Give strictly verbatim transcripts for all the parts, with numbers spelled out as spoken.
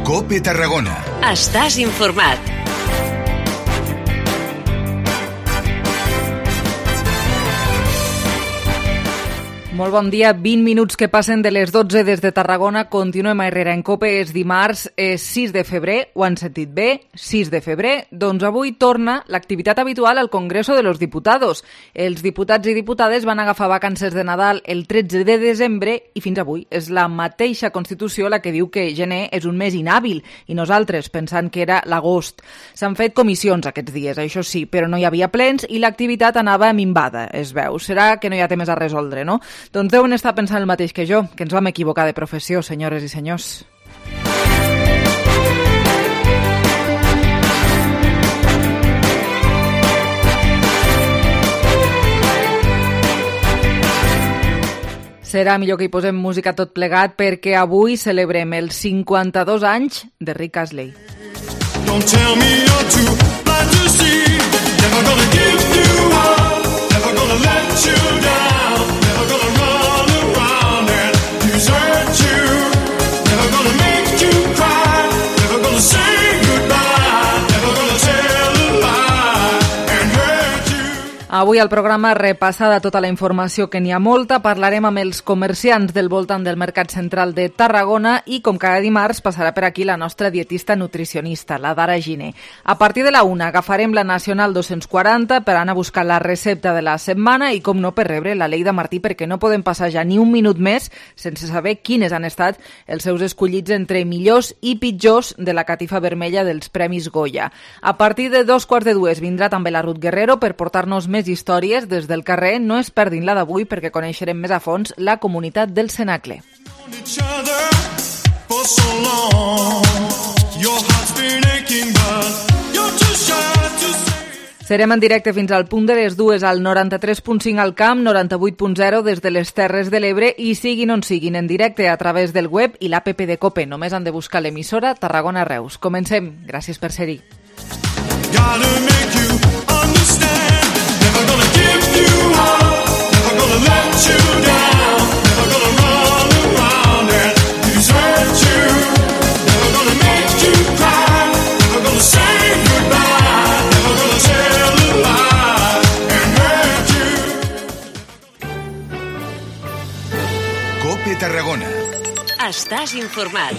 COPE Tarragona. Estàs informat. Molt bon dia, vint minuts que passen de les dotze des de Tarragona. Continuem a Herrera en COPE, és dimarts, és sis de febrer, ho han sentit bé, sis de febrer. Doncs avui torna l'activitat habitual al Congreso de los Diputados. Els diputats i diputades van agafar vacances de Nadal el tretze de desembre i fins avui és la mateixa Constitució la que diu que gener és un mes inhàbil i nosaltres pensant que era l'agost. S'han fet comissions aquests dies, això sí, però no hi havia plens i l'activitat anava minvada, es veu. Serà que no hi ha temes a resoldre, no? Doncs deuen estar pensant el mateix que jo, que ens vam equivocar de professió, senyores i senyors. Serà millor que hi posem música tot plegat perquè avui celebrem els cinquanta-dos anys de Rick Astley. Don't tell me you're too blind to see. Never gonna give you up. Never gonna let you down. Avui al programa, repassada tota la informació, que n'hi ha molta, parlarem amb els comerciants del voltant del Mercat Central de Tarragona i, com cada dimarts, passarà per aquí la nostra dietista nutricionista, la Dara Giner. A partir de la una agafarem la Nacional dos-cents quaranta per anar a buscar la recepta de la setmana i, com no, per rebre la Lleida Martí, perquè no podem passar ja ni un minut més sense saber quines han estat els seus escollits entre millors i pitjors de la catifa vermella dels Premis Goya. A partir de dos quarts de dues vindrà també la Ruth Guerrero per portar-nos més històries des del carrer. No es perdin la d'avui perquè coneixerem més a fons la comunitat del Cenacle. Serem en directe fins al punt de les dues al noranta-tres punt cinc al Camp, noranta-vuit punt zero des de les Terres de l'Ebre i siguin on siguin en directe a través del web i l'app de COPE. Només han de buscar l'emissora Tarragona Reus. Comencem. Gràcies per ser-hi. Never gonna give you up, never gonna let you down, never gonna run around and desert you, never gonna make you cry, never gonna say goodbye, never gonna tell a lie and hurt you. COPE Tarragona. Estàs informat.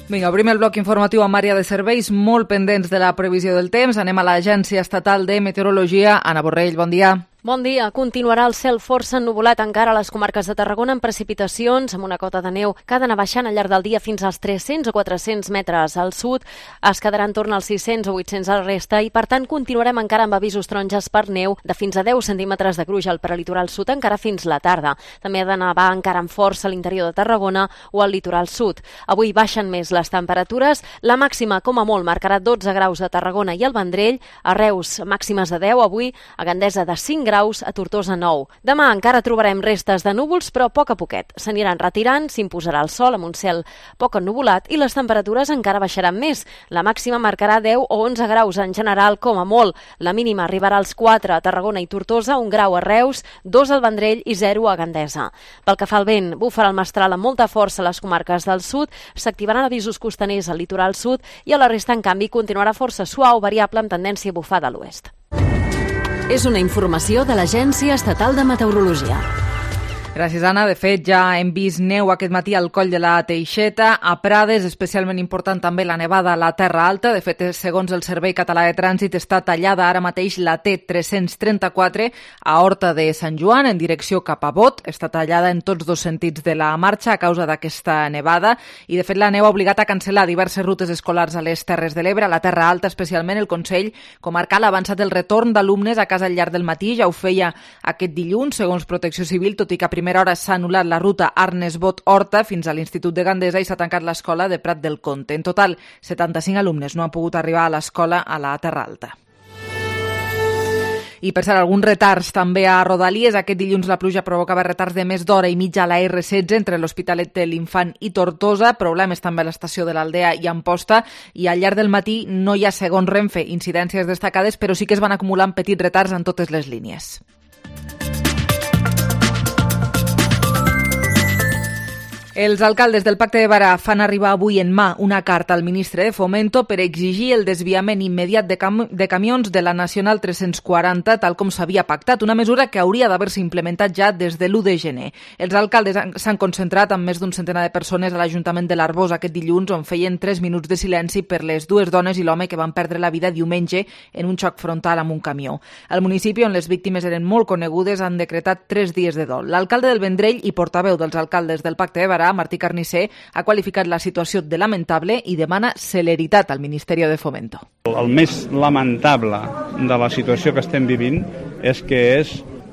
Vinga, obrim el bloc informatiu amb àrea de serveis, molt pendents de la previsió del temps. Anem a l'Agència Estatal de Meteorologia. Anna Borrell, bon dia. Bon dia. Continuarà el cel força ennuvolat encara a les comarques de Tarragona amb precipitacions, amb una cota de neu que ha d'anar baixant al llarg del dia fins als tres-cents o quatre-cents metres al sud. Es quedarà en torn als sis-cents o vuit-cents a la resta i, per tant, continuarem encara amb avisos taronges per neu de fins a deu centímetres de gruix al prelitoral sud, encara fins la tarda. També ha de nevar encara amb força a l'interior de Tarragona o al litoral sud. Avui baixen més les temperatures. La màxima, com a molt, marcarà dotze graus a Tarragona i al Vendrell. A Reus, màximes de deu. Avui, a Gandesa, de cinc graus, a Tortosa nou. Demà encara trobarem restes de núvols, però a poc a poquet. S'aniran retirant, s'imposarà el sol amb un cel poc ennuvolat i les temperatures encara baixaran més. La màxima marcarà deu o onze graus en general, com a molt. La mínima arribarà als quatre a Tarragona i Tortosa, un grau a Reus, dos al Vendrell i zero a Gandesa. Pel que fa al vent, bufarà el mestral amb molta força a les comarques del sud, s'activaran avisos costaners al litoral sud i a la resta, en canvi, continuarà força suau, variable amb tendència a bufar de l'oest. És una informació de l'Agència Estatal de Meteorologia. Gràcies, Anna. De fet, ja hem vist neu aquest matí al coll de la Teixeta, a Prades, especialment important també la nevada a la Terra Alta. De fet, segons el Servei Català de Trànsit, està tallada ara mateix la T tres-cents trenta-quatre a Horta de Sant Joan, en direcció cap a Bot. Està tallada en tots dos sentits de la marxa a causa d'aquesta nevada i, de fet, la neu ha obligat a cancel·lar diverses rutes escolars a les Terres de l'Ebre, a la Terra Alta, especialment. El Consell Comarcal ha avançat el retorn d'alumnes a casa al llarg del matí. Ja ho feia aquest dilluns, segons Protecció Civil, tot i que a primera hora s'ha anul·lat la ruta Arnes-Bot-Horta fins a l'Institut de Gandesa i s'ha tancat l'escola de Prat del Comte. En total, setanta-cinc alumnes no han pogut arribar a l'escola a la Terra Alta. I, per cert, alguns retards també a Rodalies. Aquest dilluns la pluja provocava retards de més d'hora i mitja a la erre setze entre l'Hospitalet de l'Infant i Tortosa. Problemes també a l'estació de l'Aldea i Amposta. I al llarg del matí no hi ha, segons Renfe, incidències destacades, però sí que es van acumulant petits retards en totes les línies. Els alcaldes del Pacte de Barà fan arribar avui en mà una carta al ministre de Fomento per exigir el desviament immediat de, cam de camions de la Nacional tres-cents quaranta, tal com s'havia pactat, una mesura que hauria d'haver-se implementat ja des de l'u de gener. Els alcaldes s'han concentrat amb més d'un centenar de persones a l'Ajuntament de l'Arboç aquest dilluns, on feien tres minuts de silenci per les dues dones i l'home que van perdre la vida diumenge en un xoc frontal amb un camió. Al municipi, on les víctimes eren molt conegudes, han decretat tres dies de dol. L'alcalde del Vendrell i portaveu dels alcaldes del Pacte de Barà, Martí Carnicer, ha qualificat la situació de lamentable i demana celeritat al Ministeri de Fomento. El més lamentable de la situació que estem vivint és que és,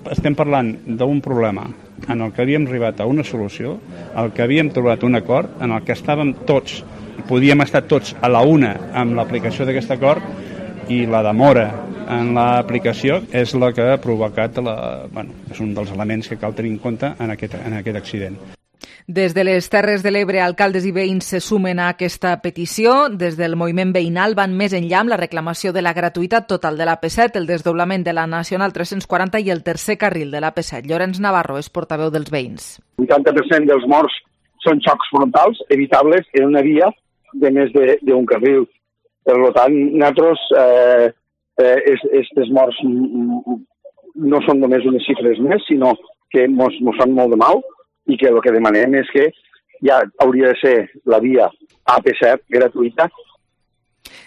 estem parlant d'un problema en el que havíem arribat a una solució, el que havíem trobat un acord, en el que estàvem tots, podíem estar tots a la una amb l'aplicació d'aquest acord, i la demora en l'aplicació és la que ha provocat, la, bueno, és un dels elements que cal tenir en compte en aquest, en aquest accident. Des de les Terres de l'Ebre, alcaldes i veïns se sumen a aquesta petició. Des del moviment veïnal van més enllà amb la reclamació de la gratuïtat total de l'A P set, el desdoblament de la Nacional tres-cents quaranta i el tercer carril de l'A P set. Llorenç Navarro és portaveu dels veïns. El vuitanta per cent dels morts són xocs frontals evitables en una via de més d'un carril. Per tant, nosaltres, eh, eh, aquestes morts no són només unes xifres més, sinó que ens fan molt de mal, i que el que demanem és que ja hauria de ser la via A P set gratuïta.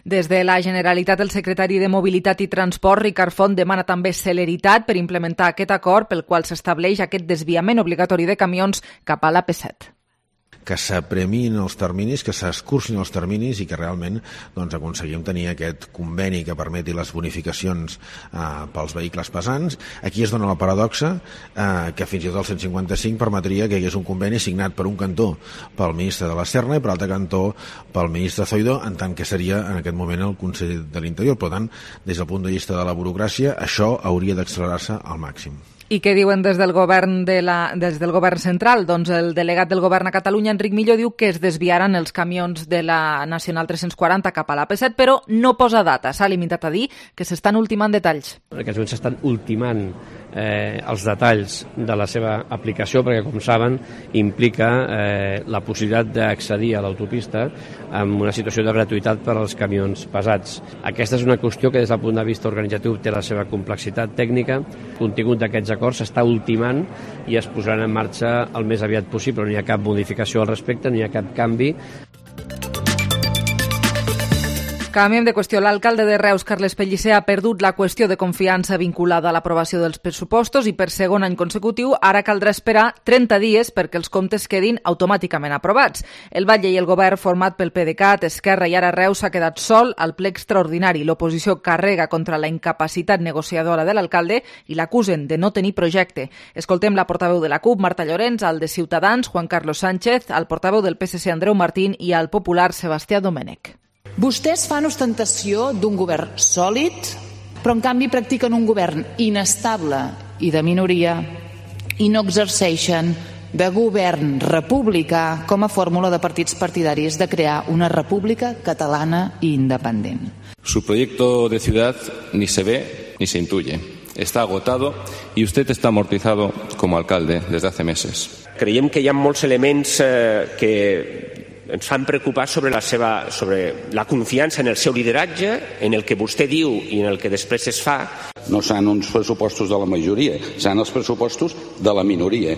Des de la Generalitat, el secretari de Mobilitat i Transport, Ricard Font, demana també celeritat per implementar aquest acord pel qual s'estableix aquest desviament obligatori de camions cap a l'A P set. Que s'apremiïn els terminis, que s'escurcin els terminis i que realment doncs, aconseguim tenir aquest conveni que permeti les bonificacions eh, pels vehicles pesants. Aquí es dona la paradoxa eh, que fins i tot el cent cinquanta-cinc permetria que hi hagués un conveni signat per un cantó pel ministre de la Serna i per l'altre cantó pel ministre Zoido, en tant que seria en aquest moment el Consell de l'Interior. Per tant, des del punt de vista de la burocràcia, això hauria d'accelerar-se al màxim. I què diuen des del govern de la, des del govern central? Doncs el delegat del govern a Catalunya, Enric Millo, diu que es desviaran els camions de la Nacional tres-cents quaranta cap a l'A P set, però no posa data. S'ha limitat a dir que s'estan ultimant detalls. En aquests moments s'estan ultimant eh, els detalls de la seva aplicació, perquè, com saben, implica eh, la possibilitat d'accedir a l'autopista amb una situació de gratuïtat per als camions pesats. Aquesta és una qüestió que des del punt de vista organitzatiu té la seva complexitat tècnica. El contingut d'aquests acords s'està ultimant i es posaran en marxa el més aviat possible. No hi ha cap modificació al respecte, no hi ha cap canvi. Canviem de qüestió. L'alcalde de Reus, Carles Pellicer, ha perdut la qüestió de confiança vinculada a l'aprovació dels pressupostos i per segon any consecutiu ara caldrà esperar trenta dies perquè els comptes quedin automàticament aprovats. El Batlle i el govern, format pel PDeCAT, Esquerra i ara Reus, s'ha quedat sol al ple extraordinari. L'oposició carrega contra la incapacitat negociadora de l'alcalde i l'acusen de no tenir projecte. Escoltem la portaveu de la CUP, Marta Llorenç, al de Ciutadans, Juan Carlos Sánchez, al portaveu del P S C, Andreu Martín, i al popular Sebastià Domènech. Vostès fan ostentació d'un govern sòlid, però en canvi practiquen un govern inestable i de minoria i no exerceixen de govern republicà com a fórmula de partits partidaris de crear una república catalana i independent. Su proyecto de ciudad ni se ve ni se intuye. Está agotado y usted está amortizado como alcalde desde hace meses. Creiem que hi ha molts elements eh, que ens fan preocupar sobre la seva, sobre la confiança en el seu lideratge, en el que vostè diu i en el que després es fa. No seran uns pressupostos de la majoria, seran els pressupostos de la minoria.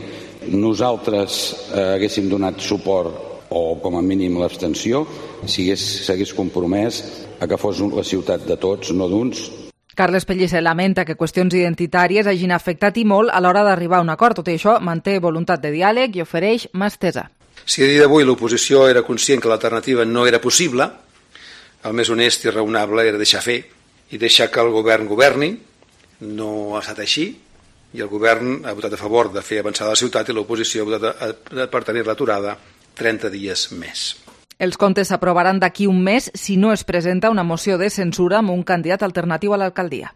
Nosaltres eh, haguéssim donat suport o com a mínim l'abstenció si s'hagués compromès a que fos la ciutat de tots, no d'uns. Carles Pellicer lamenta que qüestions identitàries hagin afectat i molt a l'hora d'arribar a un acord. Tot i això, manté voluntat de diàleg i ofereix mà estesa. Si a dia d'avui l'oposició era conscient que l'alternativa no era possible, el més honest i raonable era deixar fer i deixar que el govern governi. No ha estat així i el govern ha votat a favor de fer avançar la ciutat i l'oposició ha votat per tenir l'aturada trenta dies més. Els comptes s'aprovaran d'aquí un mes si no es presenta una moció de censura amb un candidat alternatiu a l'alcaldia.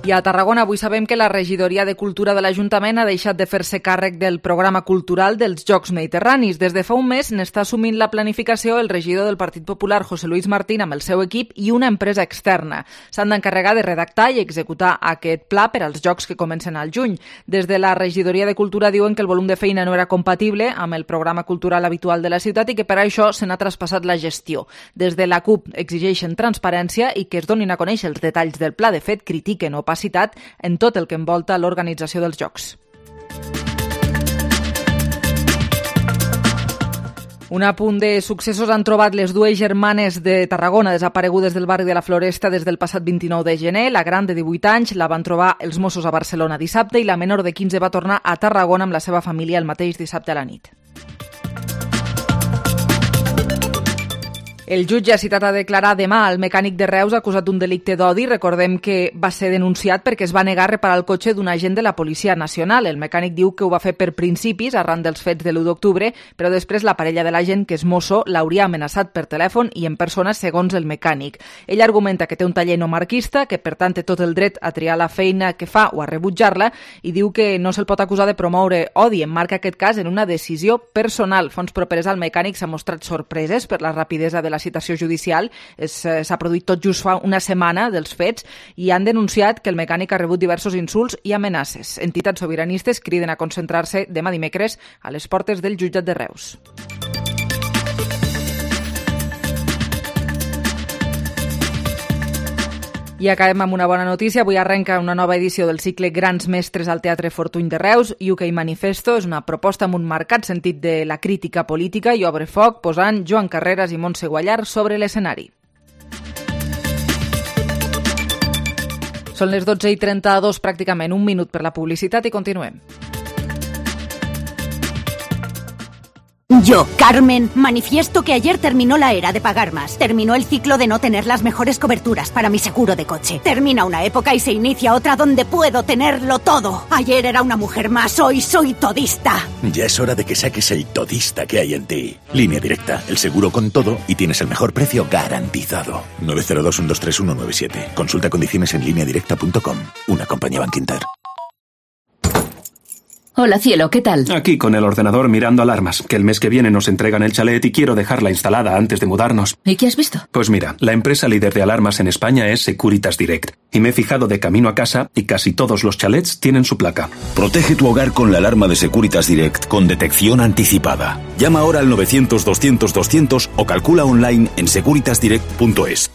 I a Tarragona avui sabem que la regidoria de Cultura de l'Ajuntament ha deixat de fer-se càrrec del programa cultural dels Jocs Mediterranis. Des de fa un mes n'està assumint la planificació el regidor del Partit Popular, José Luis Martín, amb el seu equip i una empresa externa. S'han d'encarregar de redactar i executar aquest pla per als Jocs que comencen al juny. Des de la regidoria de Cultura diuen que el volum de feina no era compatible amb el programa cultural habitual de la ciutat i que per això se n'ha traspassat la gestió. Des de la C U P exigeixen transparència i que es donin a conèixer els detalls del pla. De fet, critiquen opacitat en tot el que envolta l'organització dels Jocs. Un apunt de successos han trobat les dues germanes de Tarragona desaparegudes del barri de la Floresta des del passat vint-i-nou de gener. La gran, de divuit anys, la van trobar els Mossos a Barcelona dissabte i la menor de quinze va tornar a Tarragona amb la seva família el mateix dissabte a la nit. El jutge ha citat a declarar demà el mecànic de Reus acusat d'un delicte d'odi. Recordem que va ser denunciat perquè es va negar a reparar el cotxe d'un agent de la Policia Nacional. El mecànic diu que ho va fer per principis arran dels fets de l'u d'octubre, però després la parella de l'agent, que és mosso, l'hauria amenaçat per telèfon i en persona, segons el mecànic. Ell argumenta que té un taller no marquista, que per tant té tot el dret a triar la feina que fa o a rebutjar-la, i diu que no se'l pot acusar de promoure odi. Emmarca aquest cas en una decisió personal. Fonts properes al mecànic s'han mostrat sorpreses per la rapidesa de la citació judicial. S'ha produït tot just fa una setmana dels fets i han denunciat que el mecànic ha rebut diversos insults i amenaces. Entitats sobiranistes criden a concentrar-se demà dimecres a les portes del jutjat de Reus. I acabem amb una bona notícia. Avui arrenca una nova edició del cicle Grans Mestres al Teatre Fortuny de Reus. U K Manifesto és una proposta amb un marcat sentit de la crítica política i obre foc posant Joan Carreras i Montse Guallar sobre l'escenari. Són les dotze i trenta-dos, pràcticament un minut per la publicitat i continuem. Yo, Carmen, manifiesto que ayer terminó la era de pagar más. Terminó el ciclo de no tener las mejores coberturas para mi seguro de coche. Termina una época y se inicia otra donde puedo tenerlo todo. Ayer era una mujer más, hoy soy todista. Ya es hora de que saques el todista que hay en ti. Línea Directa, el seguro con todo y tienes el mejor precio garantizado. nueve cero dos, uno dos tres, uno nueve siete. Consulta condiciones en línea directa punto com. Una compañía Bankinter. Hola, cielo, ¿qué tal? Aquí con el ordenador mirando alarmas, que el mes que viene nos entregan el chalet y quiero dejarla instalada antes de mudarnos. ¿Y qué has visto? Pues mira, la empresa líder de alarmas en España es Securitas Direct. Y me he fijado de camino a casa y casi todos los chalets tienen su placa. Protege tu hogar con la alarma de Securitas Direct con detección anticipada. Llama ahora al novecientos, doscientos, doscientos o calcula online en securitas direct punto es.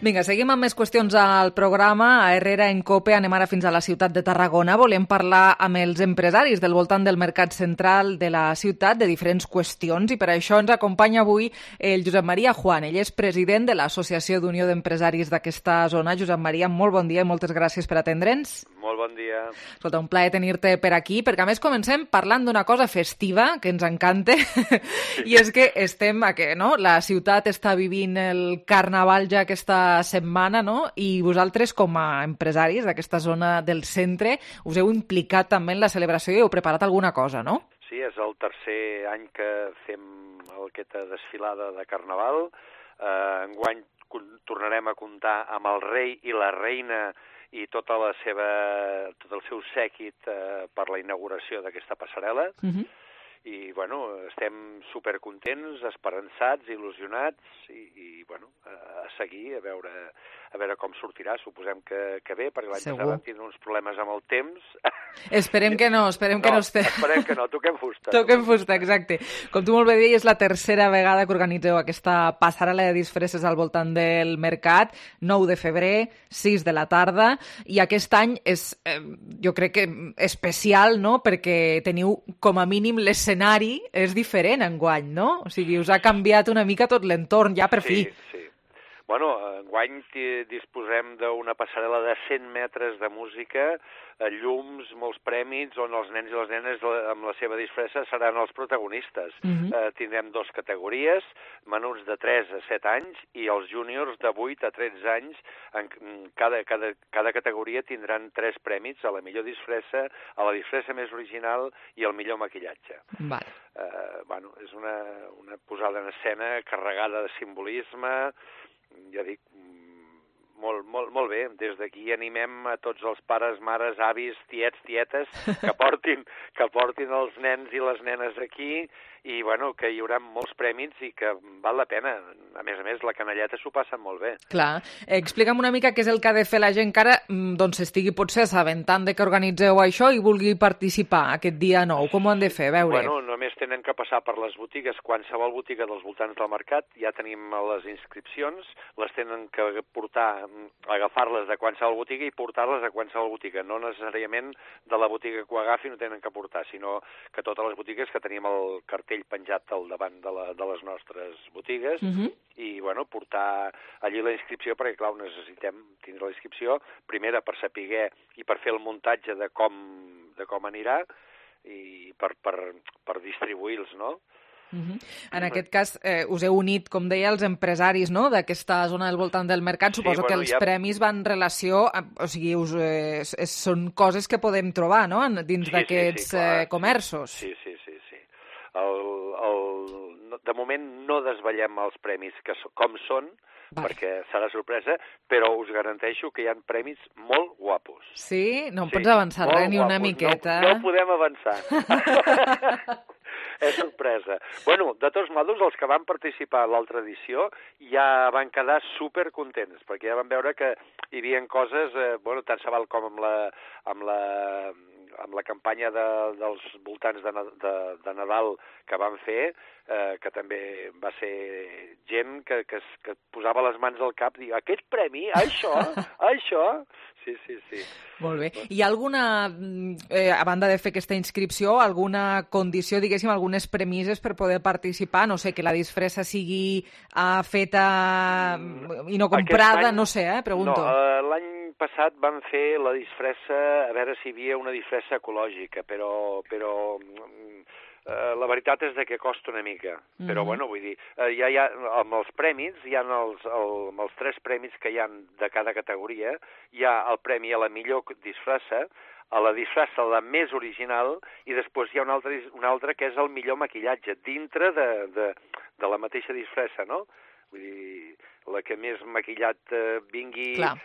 Vinga, seguim amb més qüestions al programa. A Herrera en Cope anem ara fins a la ciutat de Tarragona. Volem parlar amb els empresaris del voltant del mercat central de la ciutat de diferents qüestions i per això ens acompanya avui el Josep Maria Juan. Ell és president de l'Associació d'Unió d'Empresaris d'aquesta zona. Josep Maria, molt bon dia i moltes gràcies per atendre'ns. Molt bon dia. Escolta, un plaer tenir-te per aquí, perquè a més comencem parlant d'una cosa festiva que ens encanta i és que estem, a que, no? La ciutat està vivint el carnaval ja aquesta setmana, no? I vosaltres, com a empresaris d'aquesta zona del centre, us heu implicat també en la celebració i heu preparat alguna cosa, no? Sí, és el tercer any que fem aquesta desfilada de carnaval. Eh, enguany tornarem a comptar amb el rei i la reina i tota la seva, tot el seu sèquit eh, per la inauguració d'aquesta passarel·la. Uh-huh. I, bueno, estem supercontents, esperançats, il·lusionats i, i bueno, a, a seguir, a veure, a veure com sortirà. Suposem que, que bé, perquè l'any passat vam tindre uns problemes amb el temps. Esperem que no, esperem no, que no estem... esperem que no, toquem fusta. Toquem fusta, exacte. Com tu molt bé deies, és la tercera vegada que organitzeu aquesta passarel·la de disfresses al voltant del mercat, nou de febrer, sis de la tarda, i aquest any és, eh, jo crec que especial, no?, perquè teniu com a mínim l'escenari és diferent enguany, no? O sigui, us ha canviat una mica tot l'entorn, ja per fi. Sí, sí. Bueno, enguany disposem d'una passarel·la de cent metres de música, llums, molts prèmits, on els nens i les nenes amb la seva disfressa seran els protagonistes. Uh-huh. eh, tindrem dues categories, menuts de tres a set anys i els júniors de vuit a tretze anys. En cada, cada, cada categoria tindran tres prèmits, a la millor disfressa, a la disfressa més original i al millor maquillatge. Vale. Eh, bueno, és una, una posada en escena carregada de simbolisme, ja dic, molt, molt, molt bé. Des d'aquí animem a tots els pares, mares, avis, tiets, tietes, que portin, que portin els nens i les nenes aquí, i bueno, que hi haurà molts prèmits i que val la pena. A més a més, la canalleta s'ho passa molt bé. Clar. Explica'm una mica què és el que ha de fer la gent que ara doncs estigui potser assabentant de que organitzeu això i vulgui participar aquest dia nou. Com ho han de fer? A veure. Bueno, només tenen que passar per les botigues, qualsevol botiga dels voltants del mercat, ja tenim les inscripcions, les tenen que portar, agafar-les de qualsevol botiga i portar-les a qualsevol botiga. No necessàriament de la botiga que ho agafi no tenen que portar, sinó que totes les botigues que tenim el cartell penjat al davant de, la, de les nostres botigues, uh-huh. i bueno, portar allí la inscripció, perquè clar, necessitem tindre la inscripció, primera per saber i per fer el muntatge de com, de com anirà i per, per, per distribuir-los, no? Uh-huh. En aquest cas, eh, us heu unit, com deia, els empresaris, no?, d'aquesta zona del voltant del mercat. Suposo sí, bueno, que els ja... premis van en relació, a, o sigui, us, eh, són coses que podem trobar, no?, dins sí, d'aquests sí, sí, eh, comerços. Sí, sí, sí. sí. El, el, de moment no desvetllem els premis que, com són, vale. Perquè serà sorpresa, però us garanteixo que hi ha premis molt guapos. Sí? No em sí, pots avançar res, ni una miqueta? No, no podem avançar. És sorpresa. Bueno, de tots modos, els que van participar a l'altra edició ja van quedar supercontents, perquè ja van veure que hi havia coses, eh, bueno, tant se val com amb la, amb la, amb la campanya de, dels voltants de, de, de Nadal que van fer, eh, que també va ser gent que, que, que posava les mans al cap i diu, aquest premi, això, això... Sí, sí, sí. Molt bé. Hi ha alguna, eh, a banda de fer aquesta inscripció, alguna condició, diguéssim, algunes premisses per poder participar? No sé, que la disfressa sigui uh, feta i no comprada, any, no sé, eh, pregunto. No, uh, l'any passat van fer la disfressa, a veure si hi havia una disfressa ecològica, però... però Uh, la veritat és de que costa una mica, mm-hmm. però bueno, vull dir, uh, ja hi ha, amb els premis, hi ha els, el, amb els tres premis que hi ha de cada categoria, hi ha el premi a la millor disfressa, a la disfressa la més original, i després hi ha un altre, un altre que és el millor maquillatge, dintre de, de, de la mateixa disfressa, no? Vull dir, la que més maquillat uh, vingui... Clar.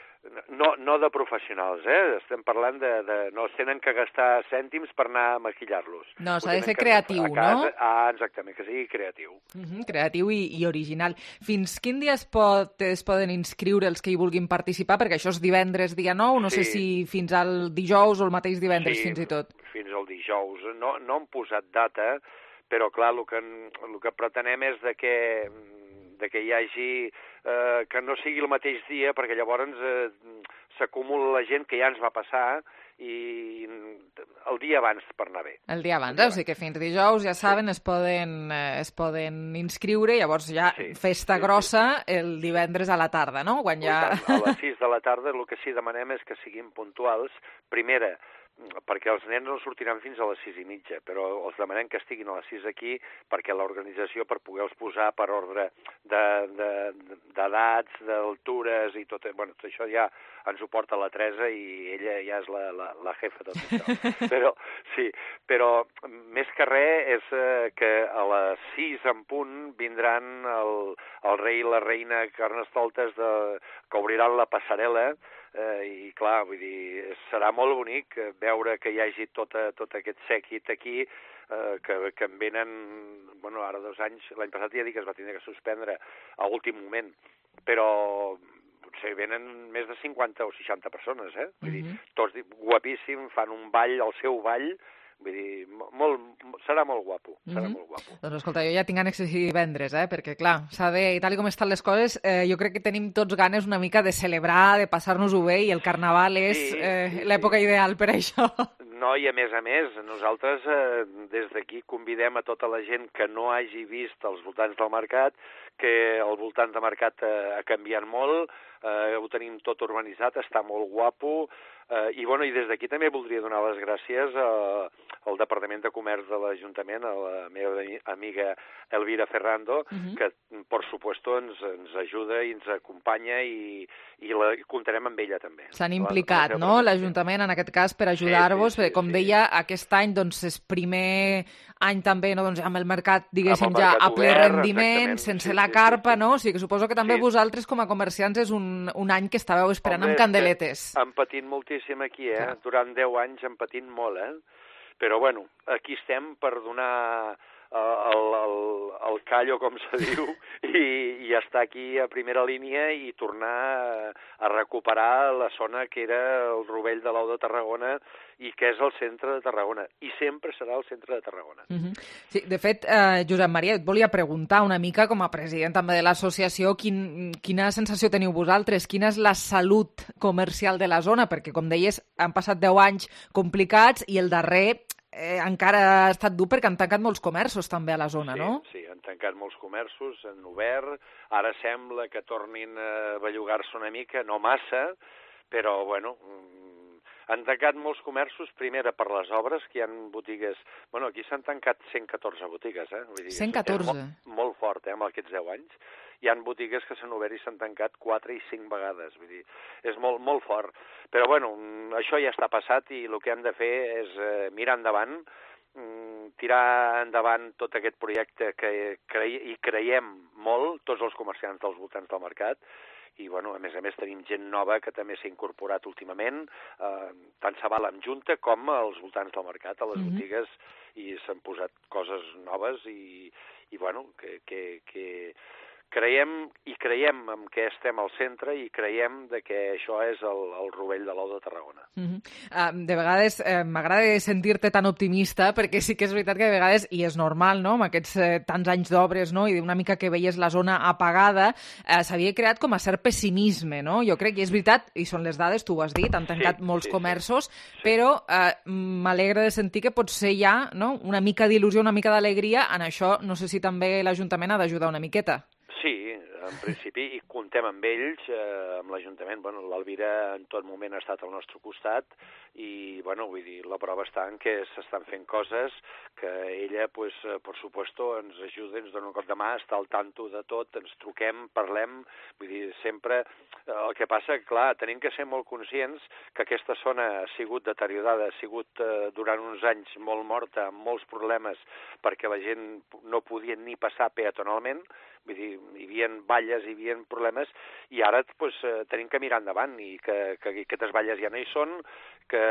No, no de professionals, eh? Estem parlant de, de... No es tenen que gastar cèntims per anar a maquillar-los. No, s'ha de ser creatiu, no? Ah, exactament, que sigui creatiu. Uh-huh, creatiu i, i original. Fins quin dia es, pot, es poden inscriure els que hi vulguin participar? Perquè això és divendres, dia nou, no sí. sé si fins al dijous o el mateix divendres, sí, fins i tot. Fins al dijous. No, no han posat data, però clar, el que, el que pretenem és de que... de que hi hagi, eh, que no sigui el mateix dia, perquè llavors eh, s'acumula la gent que ja ens va passar i el dia abans per anar bé. El dia abans, eh? O sigui que fins dijous, ja saben, sí. es, poden, eh, es poden inscriure, llavors ja sí, festa sí, grossa sí. el divendres a la tarda, no? Quan ja... A les sis de la tarda el que sí demanem és que siguin puntuals. Primera, perquè els nens no sortiran fins a les sis i mitja, però els demanem que estiguin a les sis aquí perquè l'organització, per poder-los posar per ordre d'edats, de, de, d'altures i tot, bueno, tot això ja ens ho porta la Teresa i ella ja és la, la, la jefa de tot això. Però, sí, però més que res és eh, que a les sis en punt vindran el, el rei i la reina Carnestoltes de, que obriran la passarel·la. Eh, i clar, vull dir, serà molt bonic veure que hi hagi tot, tot aquest sèquit aquí, eh, que, que en venen, bueno, ara dos anys, l'any passat ja dic que es va tenir que suspendre a últim moment, però potser venen més de cinquanta o seixanta persones, eh? Vull dir, tots guapíssim, fan un ball, el seu ball, vull dir, molt, serà molt guapo, serà mm-hmm. molt guapo. Doncs escolta, jo ja tinc ànecs de divendres, eh? Perquè clar, s'ha de, i tal com estan les coses, eh, jo crec que tenim tots ganes una mica de celebrar, de passar-nos-ho bé, i el Carnaval és sí, eh, sí, l'època sí. ideal per això. No, i a més a més, nosaltres eh, des d'aquí convidem a tota la gent que no hagi vist els voltants del mercat que al voltant de mercat eh, ha canviat molt, eh, ho tenim tot urbanitzat, està molt guapo, eh, i, bueno, i des d'aquí també voldria donar les gràcies a, al Departament de Comerç de l'Ajuntament, a la meva amiga Elvira Ferrando, uh-huh. que, per supuesto, ens, ens ajuda i ens acompanya i, i, la, i comptarem amb ella també. S'han implicat, no?, l'Ajuntament, en aquest cas, per ajudar-vos, sí, sí, sí, com sí. deia, aquest any, doncs, és primer any també, no, doncs, amb el mercat, diguéssim, el mercat ja a ple obert, rendiment, sense sí, la carpa, sí, sí, sí. no? O sigui que suposo que també sí. vosaltres, com a comerciants, és un, un any que estàveu esperant Home, amb candeletes. Hem patit moltíssim aquí, eh? Clar. Durant deu anys hem patit molt, eh? Però, bueno, aquí estem per donar el, el, el callo, com se diu, i, i estar aquí a primera línia i tornar a, a recuperar la zona que era el Rovell de l'Ou de Tarragona i que és el centre de Tarragona. I sempre serà el centre de Tarragona. Uh-huh. Sí, de fet, eh, Josep Maria, et volia preguntar una mica, com a president també de l'associació, quin, quina sensació teniu vosaltres? Quina és la salut comercial de la zona? Perquè, com deies, han passat deu anys complicats i el darrer eh, encara ha estat dur perquè han tancat molts comerços també a la zona, sí, no? Sí, han tancat molts comerços, han obert, ara sembla que tornin a bellugar-se una mica, no massa, però, bueno, han tancat molts comerços, primera per les obres, que hi ha botigues... Bueno, aquí s'han tancat cent catorze botigues, eh? Vull dir, cent catorze? És molt, molt fort, eh, amb aquests deu anys. Hi ha botigues que s'han obert i s'han tancat quatre i cinc vegades, vull dir, és molt, molt fort. Però, bueno, això ja està passat i el que hem de fer és eh, mirar endavant, tirar endavant tot aquest projecte que cre... hi creiem molt, tots els comerciants dels voltants del mercat, i, bueno, a més a més tenim gent nova que també s'ha incorporat últimament, eh, tant se val amb Junta com als voltants del mercat, a les mm-hmm. botigues, i s'han posat coses noves i, i bueno, que, que, que creiem i creiem en què estem al centre i creiem de que això és el, el Rovell de l'Ou de Tarragona. Mm-hmm. uh, de vegades uh, m'agrada sentir-te tan optimista, perquè sí que és veritat que de vegades, i és normal, no?, amb aquests uh, tants anys d'obres, no?, i una mica que veies la zona apagada, uh, s'havia creat com a cert pessimisme, no? Jo crec que és veritat, i són les dades, tu ho has dit, han tancat sí, molts sí, comerços, sí. però uh, m'alegra de sentir que potser hi ha, no?, una mica d'il·lusió, una mica d'alegria en això. No sé si també l'Ajuntament ha d'ajudar una miqueta. Sí, en principi, i comptem amb ells, eh, amb l'Ajuntament. Bueno, l'Elvira en tot moment ha estat al nostre costat i, bueno, vull dir, la prova està en que s'estan fent coses que ella, pues, per supuesto, ens ajuda, ens dona un cop de mà, està al tanto de tot, ens truquem, parlem, vull dir, sempre... El que passa, clar, tenim que ser molt conscients que aquesta zona ha sigut deteriorada, ha sigut eh, durant uns anys molt morta, amb molts problemes, perquè la gent no podia ni passar peatonalment, vull dir, hi havia valles, hi havia problemes, i ara pues, tenim que mirar endavant, i que, que aquestes valles ja no hi són, que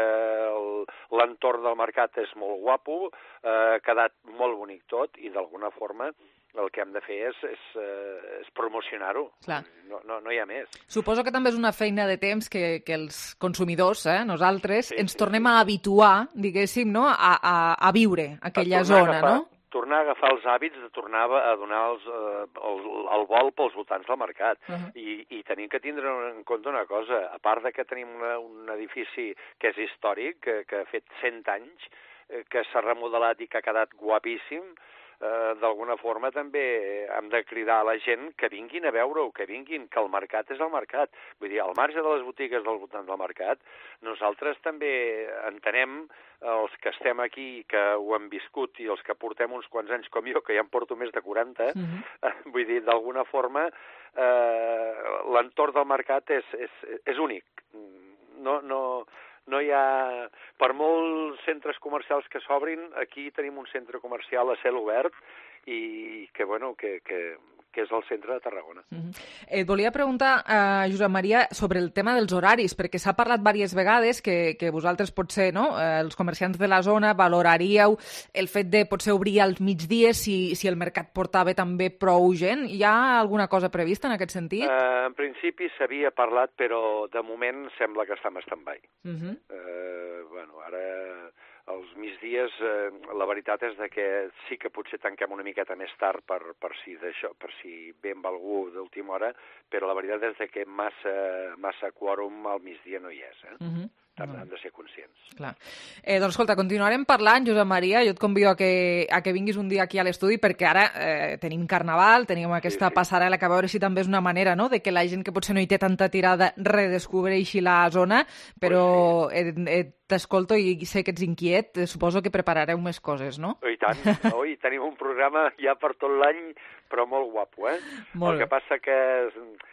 l'entorn del mercat és molt guapo, eh, ha quedat molt bonic tot, i d'alguna forma el que hem de fer és, és, és promocionar-ho. No, no, no hi ha més. Suposo que també és una feina de temps que, que els consumidors, eh, nosaltres, sí, ens sí, tornem sí. a habituar, diguéssim, no?, a, a, a viure aquella zona, agafar, no? Tornar a agafar els hàbits de tornar a donar els, eh, el, el vol pels voltants del mercat. Uh-huh. I, I tenim que tindre en compte una cosa. A part de que tenim una, un edifici que és històric, que, que ha fet cent anys, eh, que s'ha remodelat i que ha quedat guapíssim, Uh, d'alguna forma també hem de cridar a la gent que vinguin a veure-ho, que vinguin, que el mercat és el mercat. Vull dir, al marge de les botigues del voltant del mercat, nosaltres també entenem, els que estem aquí, que ho hem viscut, i els que portem uns quants anys com jo, que ja en porto més de quaranta, uh-huh. uh, vull dir, d'alguna forma, uh, l'entorn del mercat és, és, és únic. No... no No hi ha... Per molts centres comercials que s'obrin, aquí tenim un centre comercial a cel obert i que, bueno, que, que, que és el centre de Tarragona. Mm-hmm. Et volia preguntar, uh, Josep Maria, sobre el tema dels horaris, perquè s'ha parlat diverses vegades que, que vosaltres potser, no?, uh, els comerciants de la zona, valoraríeu el fet de potser obrir als migdies si, si el mercat portava també prou gent. Hi ha alguna cosa prevista en aquest sentit? Uh, en principi s'havia parlat, però de moment sembla que està en stand-by. Mm-hmm. uh, bueno, ara... Els migdies, eh, la veritat és de que sí que potser tanquem una miqueta més tard per, per, si, d'això, per si ve amb algú d'última hora, però la veritat és de que massa, massa quòrum al migdia no hi és. Eh? Mm-hmm. han, han de ser conscients. Clar. Eh, doncs escolta, continuarem parlant, Josep Maria, jo et convido a que, a que vinguis un dia aquí a l'estudi perquè ara eh, tenim Carnaval, tenim aquesta sí, sí. passarel·la que a veure si també és una manera, no?, de que la gent que potser no hi té tanta tirada redescobreixi la zona, però eh, eh, t'escolto i sé que ets inquiet, suposo que preparareu més coses, no? I tant, no? I tenim un programa ja per tot l'any, però molt guapo, eh? Molt El que bé. passa que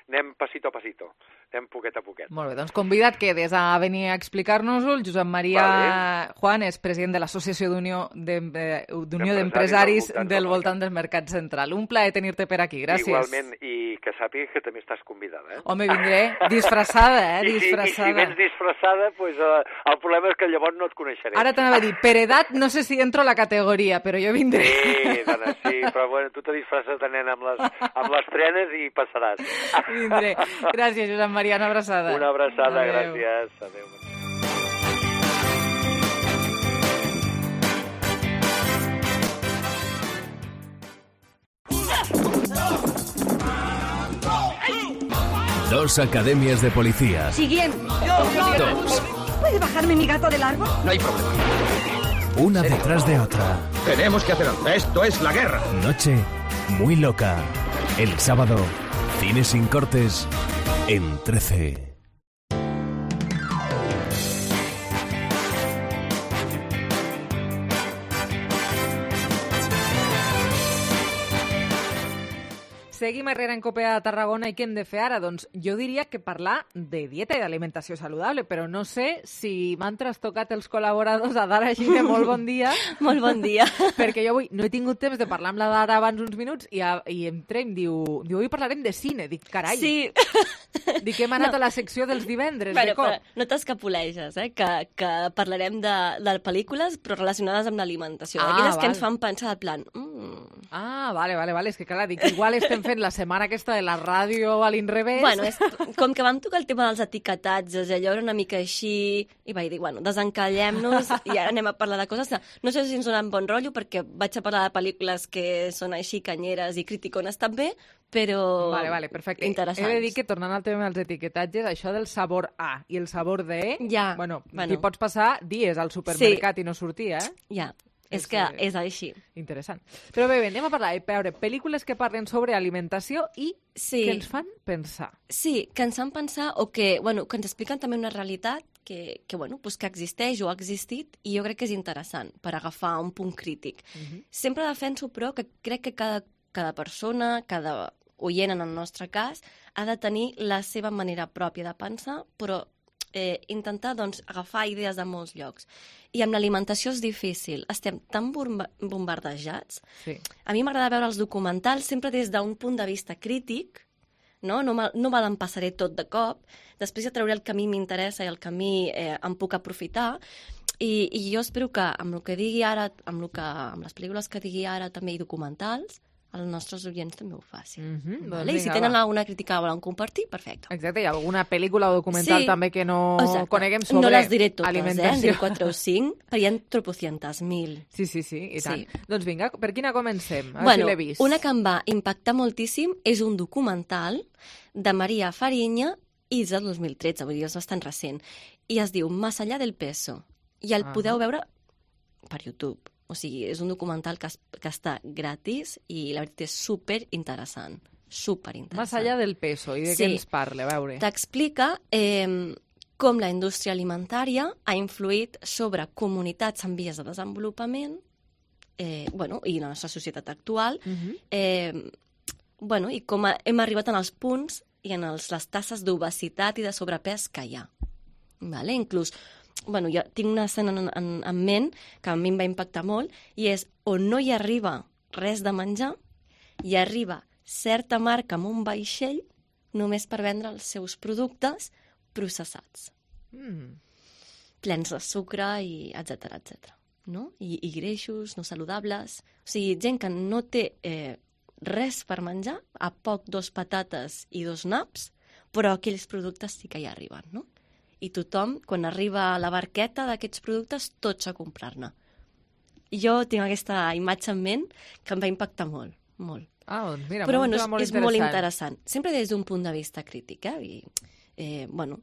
anem pasito a pasito, anem poquet a poquet. Molt bé, doncs convida't quedes a venir a explicar-nos-ho. El Josep Maria vale. Juan és president de l'Associació d'Unió d'Empresaris del voltant del Mercat Central. Un plaer tenir-te per aquí, gràcies. Igualment, i que sàpigues que també estàs convidada, eh? Home, vindré disfressada, eh? I si, disfressada. I si vens disfressada, pues, uh, el problema és que llavors no et coneixeré. Ara t'anava a dir, per edat no sé si entro a la categoria, però jo vindré. Sí, dona, sí, però bueno, tu te disfresses de nen amb les, amb les trenes i passaràs. Vindré. Gràcies, Josep Maria, una abraçada. Una abraçada, Adeu. gràcies. Adéu. Dos academias de policía. Siguiente. Dos. ¿Puede bajarme mi gato del árbol? No hay problema. Una detrás de otra. Tenemos que hacer algo. Esto es la guerra. Noche muy loca. El sábado, cine sin cortes en trece. Seguim arrere en Copea de Tarragona i què hem de fer ara? Doncs jo diria que parlar de dieta i d'alimentació saludable, però no sé si m'han trastocat els col·laboradors a Dara Gine, molt bon dia. Molt bon dia. Perquè jo avui no he tingut temps de parlar amb la Dara abans uns minuts i, a, i entrem, diu, diu, avui parlarem de cine. Dic, carai, sí. Dic que hem anat no. a la secció dels divendres, bueno, de cop. No t'escapoleges, eh? que, que parlarem de, de pel·lícules però relacionades amb l'alimentació. Ah, Aquelles val. que ens fan pensar al plan... Mm. Ah, vale, vale, vale. És que clar, dic, igual estem fent la setmana aquesta de la ràdio a l'inrevés. Bueno, és, com que vam tocar el tema dels etiquetatges, allò era una mica així, i vaig dir, bueno, desencallem-nos i ara anem a parlar de coses. No sé si ens donen bon rotllo, perquè vaig a parlar de pel·lícules que són així canyeres i criticones també, però vale, vale, perfecte. interessants. He de dir que, tornant al tema dels etiquetatges, això del sabor A i el sabor D, ja, bueno, bueno. t'hi pots passar dies al supermercat sí. i no sortir, eh? Ja. És, és que és així. Interessant. Però bé, bé, anem a parlar, a veure, pel·lícules que parlen sobre alimentació i sí. que ens fan pensar. Sí, que ens fan pensar o que, bueno, que ens expliquen també una realitat que, que, bueno, pues que existeix o ha existit i jo crec que és interessant per agafar un punt crític. Uh-huh. Sempre defenso, però, que crec que cada, cada persona, cada oient en el nostre cas, ha de tenir la seva manera pròpia de pensar, però Eh, intentar doncs, agafar idees de molts llocs. I amb l'alimentació és difícil. Estem tan bombardejats. Sí. A mi m'agrada veure els documentals sempre des d'un punt de vista crític, no, no, me, no me l'empassaré tot de cop, després ja trauré el que a mi m'interessa i el que a mi eh, em puc aprofitar, i, i jo espero que amb el que digui ara, amb, el que, amb les pel·lícules que digui ara també i documentals, els nostres oients també ho facin. Mm-hmm, vale? I si tenen va. alguna crítica que volen compartir, perfecte. Exacte, hi ha alguna pel·lícula o documental sí. també que no Exacte. coneguem sobre no les diré totes, alimentació. Eh? En diré quatre o cinc, però hi ha tropocientes mil. Sí, sí, sí, i tant. Sí. Doncs vinga, per quina comencem? A bueno, si l'he vist. Una que em va impactar moltíssim és un documental de Maria Fariña i és del dos mil tretze, vull dir, és bastant recent, i es diu Más allá del peso, i el ah. podeu veure per YouTube. O sigui, és un documental que, es, que està gratis i la veritat és super interessant. Super interessant. Más allá del peso. I de sí. què ens parla? A veure. T'explica eh, com la indústria alimentària ha influït sobre comunitats en vies de desenvolupament eh, bueno, i la nostra societat actual uh-huh. eh, bueno, i com a, hem arribat en els punts i en els, les tasses d'obesitat i de sobrepès que hi ha. Vale? Inclús bueno, jo tinc una escena en, en, en ment que a mi em va impactar molt i és on no hi arriba res de menjar, hi arriba certa marca amb un vaixell només per vendre els seus productes processats. Mm. Plens de sucre i etcètera, etcètera. No? I, I greixos no saludables. O sigui, gent que no té eh, res per menjar, a poc dos patates i dos naps, però aquells productes sí que hi arriben, no? I tothom, quan arriba a la barqueta d'aquests productes, tots a comprar-ne. Jo tinc aquesta imatge en ment que em va impactar molt, molt. Ah, doncs mira, però molt, bueno, és, molt és molt interessant. Sempre des d'un punt de vista crític, eh? I, eh bueno,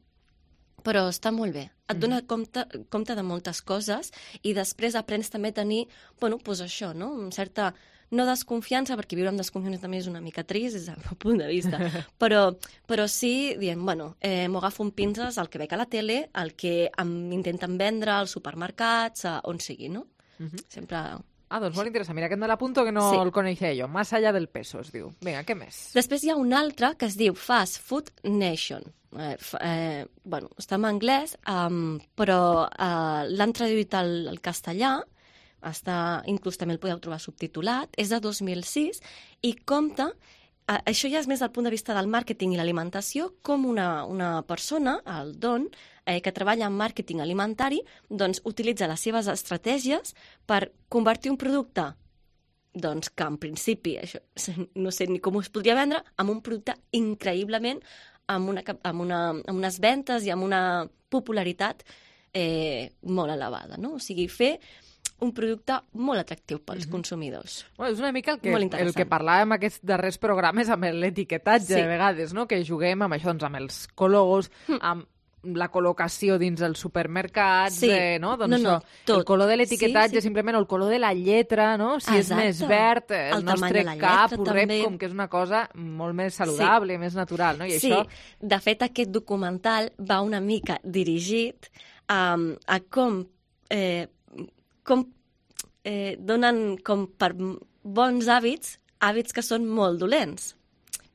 però està molt bé. Et dona compte, compte de moltes coses i després aprens també a tenir, bueno, doncs això, no? Una certa, no desconfiança, perquè viure amb desconfiança també és una mica trist, és el meu punt de vista, però, però sí, dient, bueno, eh, m'ho agafo amb pinces el que veig a la tele, el que em intenten vendre als supermercats, a on sigui, no? Mhm. Sempre... Ah, doncs molt interessant. Mira, aquest me l'apunto que no Sí. el coneixia jo. Más allá del peso, es diu. Vinga, què més? Després hi ha un altre que es diu Fast Food Nation. Eh, f- eh, bueno, està en anglès, um, però eh, l'han traduït al, al castellà, està, inclús també el podeu trobar subtitulat, és de dos mil sis i compta, eh, això ja és més del punt de vista del màrqueting i l'alimentació, com una, una persona, el Don, eh, que treballa en màrqueting alimentari, doncs utilitza les seves estratègies per convertir un producte doncs que en principi, això, no sé ni com es podria vendre, amb un producte increïblement, amb, una, cap- amb, una, amb unes ventes i amb una popularitat eh, molt elevada, no? O sigui, fer un producte molt atractiu pels Mhm. consumidors. Bueno, és una mica el que, Molt el interessant. que parlàvem aquests darrers programes amb l'etiquetatge, Sí. de vegades, no? Que juguem amb això, doncs, amb els colors, amb la col·locació dins els supermercats, Sí. eh, no? Doncs No, no, això, tot. el color de l'etiquetatge, Sí, sí. simplement el color de la lletra, no? Si és Exacte. més verd, eh, el, El tamany nostre de la cap lletra, ho rep també. com que és una cosa molt més saludable, sí. més natural, no? I sí, això... de fet, aquest documental va una mica dirigit um, a com, eh, com eh, donen com per bons hàbits, hàbits que són molt dolents.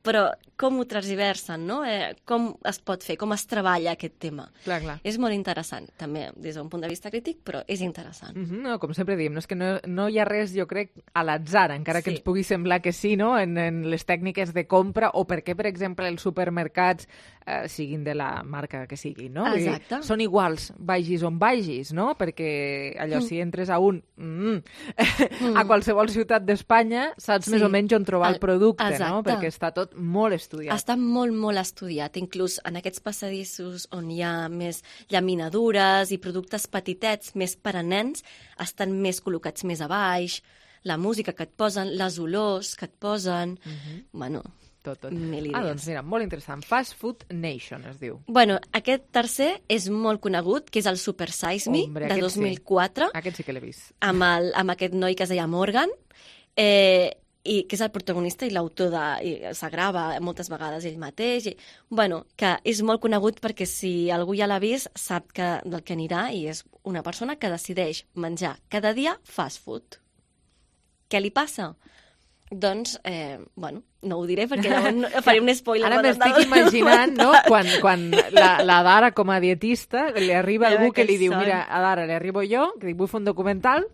Però com ho transversen, no? Eh, com es pot fer, com es treballa aquest tema. Clar, clar. És molt interessant, també des d'un punt de vista crític, però és interessant. Mm -hmm, no, com sempre diem, no, és que no, no hi ha res, jo crec, a l'atzar, encara que Sí. ens pugui semblar que sí, no?, en, en les tècniques de compra, o perquè, per exemple, els supermercats eh, siguin de la marca que siguin, no? Vull dir, Exacte. són iguals, vagis on vagis, no? Perquè allò, Mm. si entres a un... Mm, a qualsevol ciutat d'Espanya, saps Sí. més o menys on trobar el, El- producte, no? exacte. Perquè està tot molt estudiat. Està molt, molt estudiat. Inclús en aquests passadissos on hi ha més llaminadures i productes petitets, més per a nens, estan més col·locats més a baix, la música que et posen, les olors que et posen... Mhm. Bueno, tot, tot. mil idees. Ah, doncs mira, molt interessant. Fast Food Nation es diu. Bueno, aquest tercer és molt conegut, que és el Super Size Me, Hombre, de aquest dos mil quatre, Sí. Aquest sí que l'he vist. amb, el, amb aquest noi que es deia Morgan, eh, i que és el protagonista i l'autor de... i s'agrava moltes vegades ell mateix. I, bueno, que és molt conegut perquè si algú ja l'ha vist sap que, del que anirà, i és una persona que decideix menjar cada dia fast food. Què li passa? Doncs, eh, bueno, no ho diré perquè llavors no, faré un spoiler. Ara de- m'estic del imaginant, no?, documental. quan, quan la, la Dara, com a dietista, li arriba Ja algú ve que li que diu, son. mira, a Dara, li arribo jo, que dic, vull fer un documental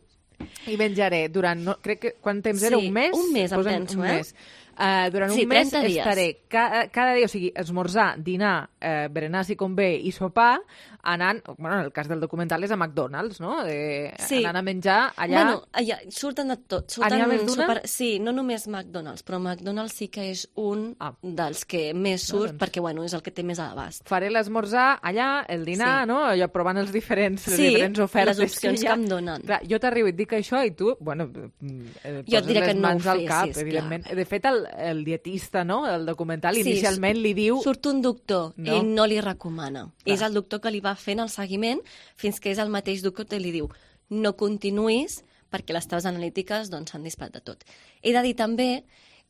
i menjaré durant, no, crec que, quant temps era? Sí, Un mes? un mes, em Posem penso, un eh? mes. Uh, durant Sí, un mes trenta dies. estaré cada, cada dia, o sigui, esmorzar, dinar, eh, berenar si convé i sopar, anant, bueno, en el cas del documental és a McDonald's, no? Eh, Sí. Anant a menjar allà... Bueno, allà surten de tot. Surten N'hi ha més d'una? super... Sí, no només McDonald's, però McDonald's sí que és un ah. dels que més surt, doncs. perquè bueno, és el que té més a l'abast. Faré l'esmorzar allà, el dinar, Sí. no? Allò provant els diferents, les Sí, diferents ofertes les opcions que, hi ha. que em donen. Clar, jo t'arribo i et dic això i tu, bueno, eh, Jo et poses diré que les no ho mans al cap, fessis, evidentment. De fet, el, el dietista, no?, el documental, Sí, inicialment li diu... Surt un doctor No. i no li recomana. Clar. És el doctor que li va fent el seguiment fins que és el mateix doctor que li diu no continuïs perquè les teves analítiques doncs, s'han disparat de tot. He de dir també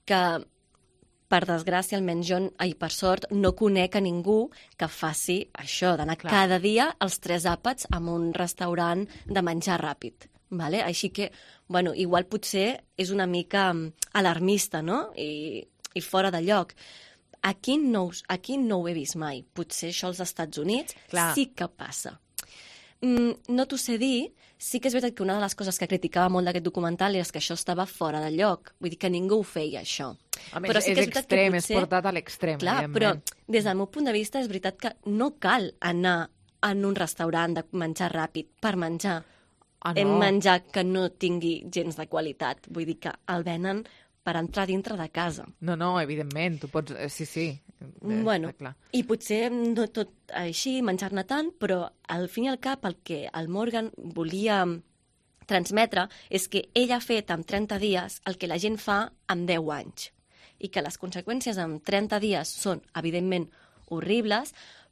que, per desgràcia, almenys jo, ai, per sort, no conec a ningú que faci això, d'anar Clar. cada dia als tres àpats a un restaurant de menjar ràpid. Vale? Així que, bueno, igual potser és una mica mm, alarmista, no?, i, i fora de lloc. Aquí no, us- aquí no ho he vist mai. Potser això als Estats Units Clar. sí que passa. Mm, no t'ho sé dir, sí que és veritat que una de les coses que criticava molt d'aquest documental és que això estava fora de lloc. Vull dir que ningú ho feia, això. Home, Però és, sí que és veritat extrem, que és portat a l'extrem, Clar, però evidentment. des del meu punt de vista és veritat que no cal anar en un restaurant de menjar ràpid per menjar. Ah, Hem no. menjar que no tingui gens de qualitat. Vull dir que el venen per entrar dintre de casa. No, no, evidentment, tu pots... eh, Sí, sí. Eh, Bueno, està clar. i potser no tot així, menjar-ne tant, però al fin i al cap el que el Morgan volia transmetre és que ell ha fet en trenta dies el que la gent fa en deu anys i que les conseqüències en trenta dies són, evidentment, horribles,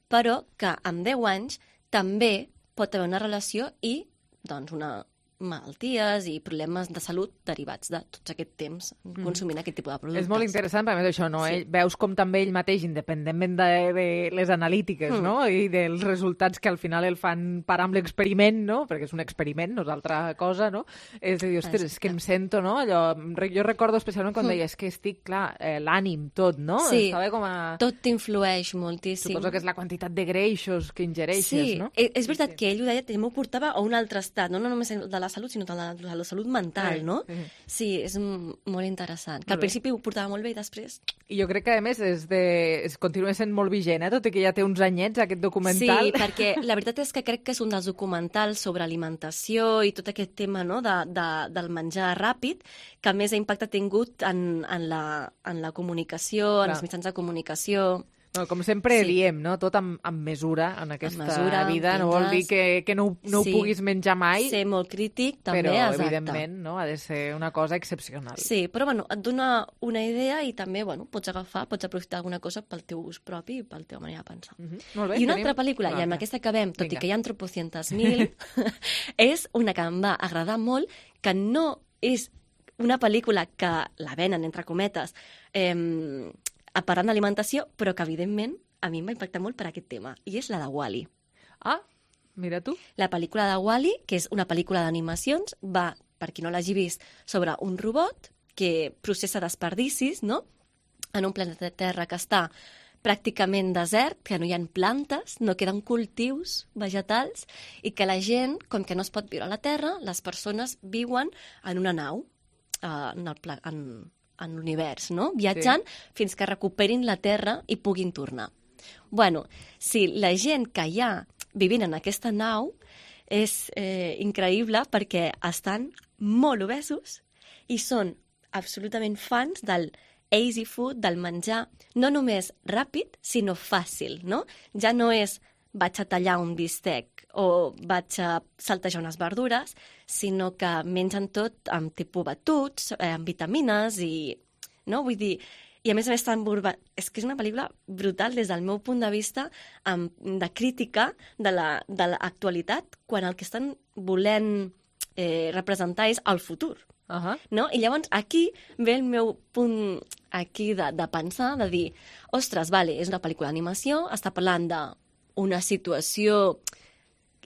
però que amb deu anys també pot haver una relació i doncs, una malalties i problemes de salut derivats de tot aquest temps consumint mm. aquest tipus de productes. És molt interessant, perquè a més això, no? Sí. Ell, veus com també ell mateix, independentment de, de les analítiques, mm. no? I dels resultats que al final el fan parar amb l'experiment, no? Perquè és un experiment, no és altra cosa, no? És a dir, ostres, és que em sento, no? Allò, jo recordo especialment quan mm. deia, és que estic, clar, eh, l'ànim, tot, no? Sí, Estava com a... tot t'influeix moltíssim. Suposo que és la quantitat de greixos que ingereixes, sí. no? Sí, és veritat sí. que ell ho deia, m'ho portava a un altre estat, no, no només de la salut, sinó de la, de la salut mental, sí, no? Sí, sí és molt interessant. Que al principi ho portava molt bé i després... I jo crec que, a més, és de... es continua sent molt vigent, eh? Tot i que ja té uns anyets, aquest documental. Sí, perquè la veritat és que crec que és un dels documentals sobre alimentació i tot aquest tema, no?, de, de, del menjar ràpid, que més impacte ha tingut en, en, la, en la comunicació, Clar. en els mitjans de comunicació... No, com sempre sí. diem, no? Tot amb, amb mesura en aquesta mesura, vida. No vol dir que, que no, no sí. ho puguis menjar mai. Ser molt crític, també, però, exacte. evidentment, no? Ha de ser una cosa excepcional. Sí, però bueno, et dona una idea i també bueno, pots agafar, pots aprofitar alguna cosa pel teu ús propi i pel teu manera de pensar. Mm-hmm. Molt bé, I una tenim... altra pel·lícula, no, i amb no. aquesta acabem, tot Vinga. i que hi ha tropocientos mil, és una que em va agradar molt, que no és una pel·lícula que la venen, entre cometes, eh, parlant d'alimentació, però que, evidentment, a mi m'ha impactat molt per aquest tema, i és la de Wall-E. Ah, mira tu. La pel·lícula de Wall-E, que és una pel·lícula d'animacions, va, per qui no l'hagi vist, sobre un robot que processa desperdicis, no?, en un planeta Terra que està pràcticament desert, que no hi ha plantes, no queden cultius vegetals, i que la gent, com que no es pot viure a la Terra, les persones viuen en una nau, uh, en el pla en, en l'univers, no?, viatjant sí. fins que recuperin la Terra i puguin tornar. Bueno, si la gent que hi ha vivint en aquesta nau és eh, increïble perquè estan molt obesos i són absolutament fans del easy food, del menjar, no només ràpid, sinó fàcil, no? Ja no és vaig a tallar un bistec o vaig a saltejar unes verdures, sinó que mengen tot amb tipus batuts, eh, amb vitamines i... No? Vull dir... I a més a més tan burba... És que és una pel·lícula brutal des del meu punt de vista amb, de crítica de l'actualitat quan el que estan volent eh, representar és el futur. Uh -huh. No? I llavors aquí ve el meu punt aquí de, de pensar, de dir, ostres, vale, és una pel·lícula d'animació, està parlant d'una situació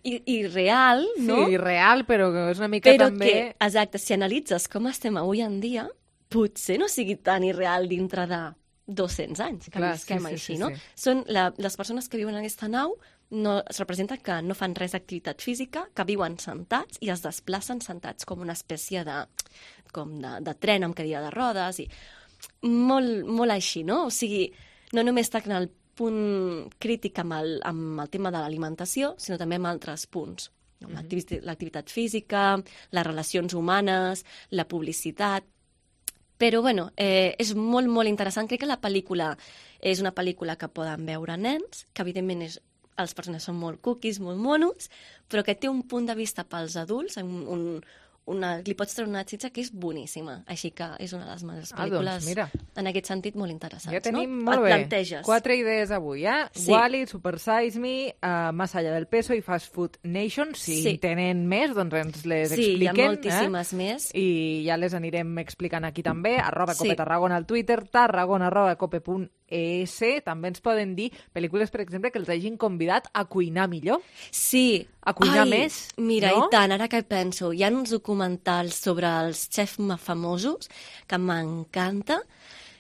irreal, no? Sí, irreal, però és una mica però també... Però que, exacte, si analitzes com estem avui en dia, potser no sigui tan irreal dintre de dos-cents anys, que Clar, visquem sí, sí, així, sí, no? sí. Són la, les persones que viuen en aquesta nau, no, es representa que no fan res d'activitat física, que viuen sentats i es desplacen sentats com una espècie de, com de, de tren amb cadira de rodes i molt, molt així, no? O sigui, no només tracten el punt crític amb el, amb el tema de l'alimentació, sinó també amb altres punts. No? Mm-hmm. L'activitat física, les relacions humanes, la publicitat... Però, bueno, eh, és molt, molt interessant. Crec que la pel·lícula és una pel·lícula que poden veure nens, que evidentment és, els personatges són molt cookies, molt monos, però que té un punt de vista pels adults, un, un, una, li pots treure una xitxa que és boníssima. Així que és una de les meves pel·lícules, ah, doncs, mira. en aquest sentit, molt interessants. Ja tenim no? molt Et bé. planteges. Quatre idees avui, eh? Sí. Wall-E, Super Size Me, uh, Más allá del peso i Fast Food Nation. Si Sí. en tenen més, doncs ens les Sí, hi ha expliquen. moltíssimes eh? més. I ja les anirem explicant aquí també. Arroba Sí. Cope Tarragona al Twitter, tarragona arroba cope punt es. També ens poden dir pel·lícules, per exemple, que els hagin convidat a cuinar millor. Sí. A cuinar Ai, més, Mira, no? i tant, ara que penso, hi ha uns documentals sobre els xefs famosos que m'encanta.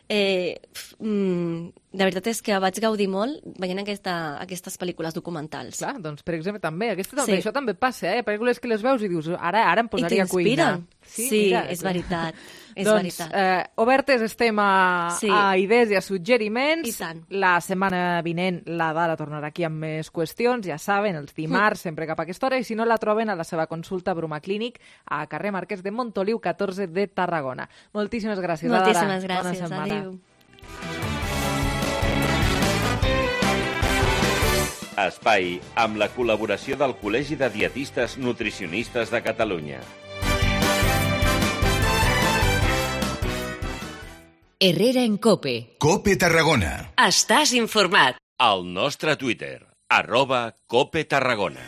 Eh, f- mm, la veritat és que vaig gaudir molt veient aquesta, aquestes pel·lícules documentals. Clar, doncs, per exemple, també. Aquesta, també Sí. Això també passa, eh? Pel·lícules que les veus i dius, ara, ara em posaria a cuinar. t'inspiren. Sí, és veritat. És doncs, veritat. eh, obertes estem a, Sí. a idees i a suggeriments. I tant. La setmana vinent la Dara tornarà aquí amb més qüestions, ja saben, els dimarts, Mm. sempre cap a aquesta hora, i si no la troben a la seva consulta Bruma Clínic a carrer Marquès de Montoliu, catorze de Tarragona. Moltíssimes gràcies, Dara. Moltíssimes Bona gràcies. setmana. Adéu. Espai amb la col·laboració del Col·legi de Dietistes Nutricionistes de Catalunya. Herrera en Cope. Cope Tarragona. Estàs informat. Al nostre Twitter. arroba Cope Tarragona.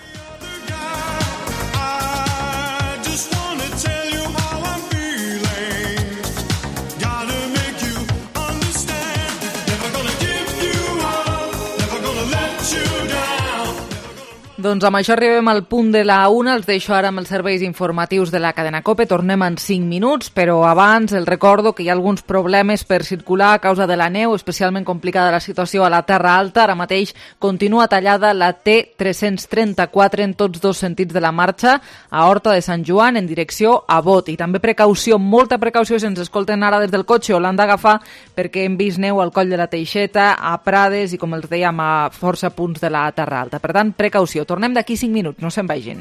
Doncs amb això arribem al punt de la una. Els deixo ara amb els serveis informatius de la cadena COPE. Tornem en cinc minuts, però abans els recordo que hi ha alguns problemes per circular a causa de la neu, especialment complicada la situació a la Terra Alta. Ara mateix continua tallada la T tres-cents trenta-quatre en tots dos sentits de la marxa, a Horta de Sant Joan en direcció a Bot. I també precaució, molta precaució, si ens escolten ara des del cotxe o l'han d'agafar, perquè hem vist neu al Coll de la Teixeta, a Prades i, com els dèiem, a força punts de la Terra Alta. Per tant, precaució. Tornem d'aquí cinc minuts, no se'n vagin.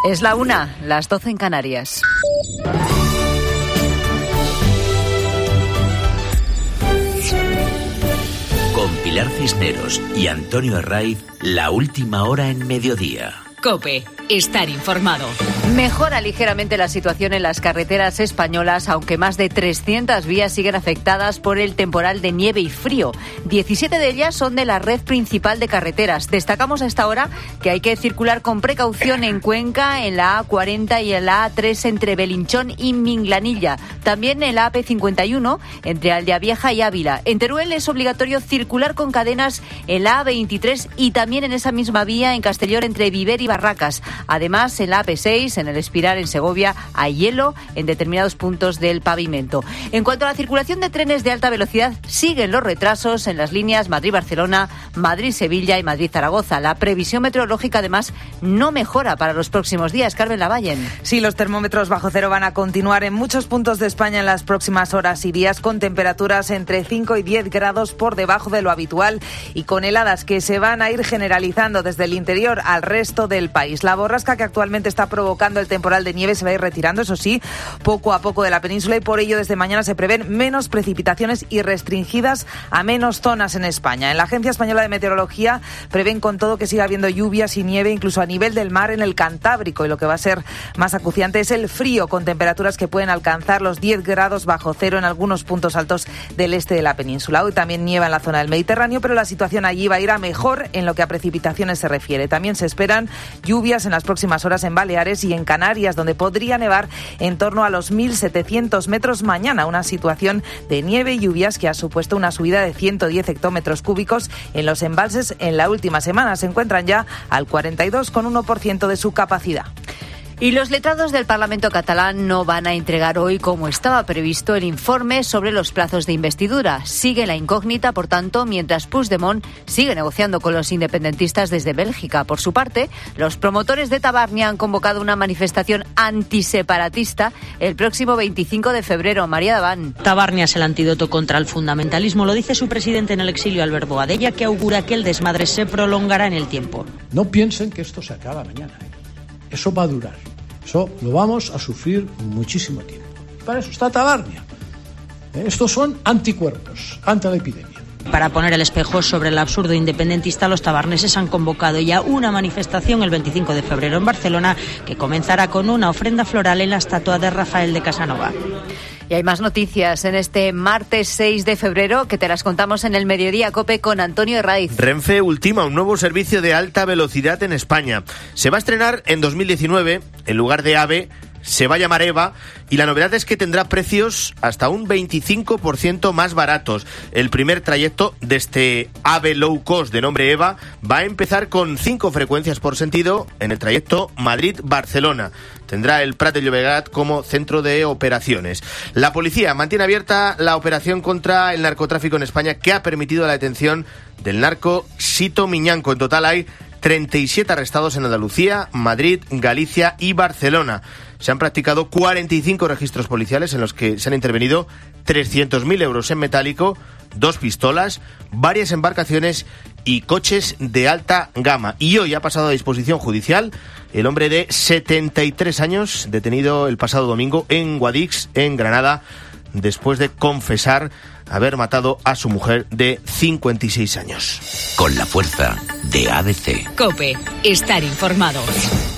Es la una, las doce en Canarias. Con Pilar Cisneros y Antonio Herraiz, la última hora en mediodía. COPE, estar informado. Mejora ligeramente la situación en las carreteras españolas, aunque más de trescientas vías siguen afectadas por el temporal de nieve y frío. diecisiete de ellas son de la red principal de carreteras. Destacamos a esta hora que hay que circular con precaución en Cuenca, en la A cuarenta y en la A tres entre Belinchón y Minglanilla. También en la A P cincuenta y uno entre Aldeavieja y Ávila. En Teruel es obligatorio circular con cadenas en la A veintitrés y también en esa misma vía en Castellón entre Viver y Barracas. Además, en la A P seis, en el Espiral, en Segovia, hay hielo en determinados puntos del pavimento. En cuanto a la circulación de trenes de alta velocidad, siguen los retrasos en las líneas Madrid-Barcelona, Madrid-Sevilla y Madrid-Zaragoza. La previsión meteorológica, además, no mejora para los próximos días. Carmen Lavallen. Sí, los termómetros bajo cero van a continuar en muchos puntos de España en las próximas horas y días, con temperaturas entre cinco y diez grados por debajo de lo habitual y con heladas que se van a ir generalizando desde el interior al resto del país. La borrasca que actualmente está provocando el temporal de nieve se va a ir retirando, eso sí, poco a poco de la península, y por ello desde mañana se prevén menos precipitaciones y restringidas a menos zonas en España. En la Agencia Española de Meteorología prevén con todo que siga habiendo lluvias y nieve incluso a nivel del mar en el Cantábrico, y lo que va a ser más acuciante es el frío, con temperaturas que pueden alcanzar los diez grados bajo cero en algunos puntos altos del este de la península. Hoy también nieva en la zona del Mediterráneo, pero la situación allí va a ir a mejor en lo que a precipitaciones se refiere. También se esperan lluvias en las próximas horas en Baleares y en Canarias, donde podría nevar en torno a los mil setecientos metros mañana, una situación de nieve y lluvias que ha supuesto una subida de ciento diez hectómetros cúbicos en los embalses en la última semana. Se encuentran ya al cuarenta y dos coma uno por ciento de su capacidad. Y los letrados del Parlamento catalán no van a entregar hoy, como estaba previsto, el informe sobre los plazos de investidura. Sigue la incógnita, por tanto, mientras Puigdemont sigue negociando con los independentistas desde Bélgica. Por su parte, los promotores de Tabarnia han convocado una manifestación antiseparatista el próximo veinticinco de febrero. María Daván. Tabarnia es el antídoto contra el fundamentalismo, lo dice su presidente en el exilio, Albert Boadella, que augura que el desmadre se prolongará en el tiempo. No piensen que esto se acaba mañana, ¿eh? Eso va a durar. Eso lo vamos a sufrir muchísimo tiempo. Para eso está Tabarnia. Estos son anticuerpos ante la epidemia. Para poner el espejo sobre el absurdo independentista, los tabarneses han convocado ya una manifestación el veinticinco de febrero en Barcelona, que comenzará con una ofrenda floral en la estatua de Rafael de Casanova. Y hay más noticias en este martes seis de febrero que te las contamos en el Mediodía COPE con Antonio Herraiz. Renfe ultima un nuevo servicio de alta velocidad en España. Se va a estrenar en dos mil diecinueve, en lugar de AVE se va a llamar EVA, y la novedad es que tendrá precios hasta un veinticinco por ciento más baratos. El primer trayecto de este AVE low cost de nombre EVA va a empezar con cinco frecuencias por sentido en el trayecto Madrid-Barcelona. Tendrá el Prat de Llobregat como centro de operaciones. La policía mantiene abierta la operación contra el narcotráfico en España, que ha permitido la detención del narco Sito Miñanco. En total hay treinta y siete arrestados en Andalucía, Madrid, Galicia y Barcelona. Se han practicado cuarenta y cinco registros policiales en los que se han intervenido trescientos mil euros en metálico, dos pistolas, varias embarcaciones y coches de alta gama. Y hoy ha pasado a disposición judicial el hombre de setenta y tres años, detenido el pasado domingo en Guadix, en Granada, después de confesar haber matado a su mujer de cincuenta y seis años. Con la fuerza de A D C. COPE, estar informado.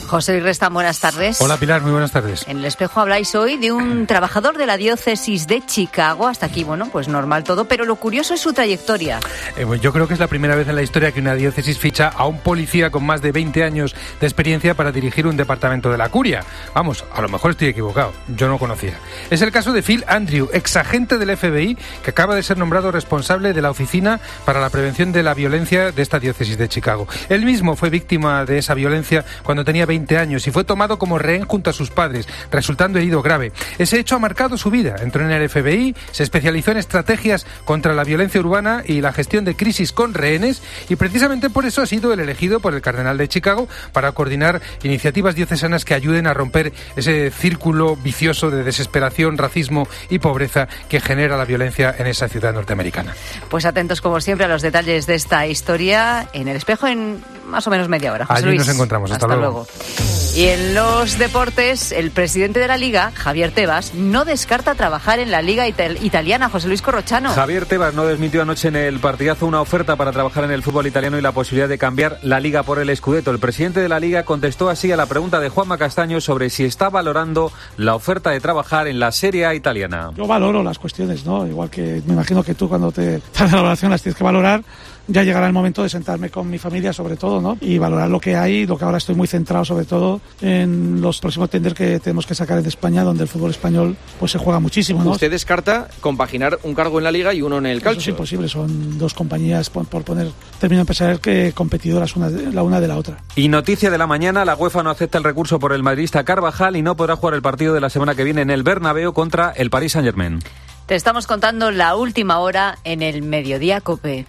José Luis Resta, buenas tardes. Hola Pilar, muy buenas tardes. En El Espejo habláis hoy de un trabajador de la diócesis de Chicago. Hasta aquí, bueno, pues normal todo, pero lo curioso es su trayectoria. Eh, pues yo creo que es la primera vez en la historia que una diócesis ficha a un policía con más de veinte años de experiencia para dirigir un departamento de la curia. Vamos, a lo mejor estoy equivocado, yo no conocía. Es el caso de Phil Andrew, exagente del F B I, que acaba de ser nombrado responsable de la Oficina para la Prevención de la Violencia de esta diócesis de Chicago. Él mismo fue víctima de esa violencia cuando tenía veinte años y fue tomado como rehén junto a sus padres, resultando herido grave. Ese hecho ha marcado su vida. Entró en el F B I, se especializó en estrategias contra la violencia urbana y la gestión de crisis con rehenes, y precisamente por eso ha sido el elegido por el cardenal de Chicago para coordinar iniciativas diocesanas que ayuden a romper ese círculo vicioso de desesperación, racismo y pobreza que genera la violencia en esa ciudad norteamericana. Pues atentos como siempre a los detalles de esta historia en El Espejo en más o menos media hora. José Allí Luis, nos encontramos. Hasta, hasta luego. luego. Y en los deportes, el presidente de la Liga, Javier Tebas, no descarta trabajar en la Liga ital- italiana. José Luis Corrochano. Javier Tebas no desmintió anoche en el partidazo una oferta para trabajar en el fútbol italiano y la posibilidad de cambiar la Liga por el Scudetto. El presidente de la Liga contestó así a la pregunta de Juanma Castaño sobre si está valorando la oferta de trabajar en la Serie A italiana. Yo valoro las cuestiones, ¿no? Igual que me imagino que tú cuando te das la valoración las tienes que valorar. Ya llegará el momento de sentarme con mi familia, sobre todo, ¿no? Y valorar lo que hay, lo que ahora estoy muy centrado, sobre todo, en los próximos tender que tenemos que sacar en España, donde el fútbol español pues se juega muchísimo, ¿no? Usted descarta compaginar un cargo en la Liga y uno en el calcio. Eso es imposible, son dos compañías, por, por poner término empresarial, que competidoras una de, la una de la otra. Y noticia de la mañana, la UEFA no acepta el recurso por el madridista Carvajal y no podrá jugar el partido de la semana que viene en el Bernabéu contra el Paris Saint-Germain. Te estamos contando la última hora en el Mediodía COPE.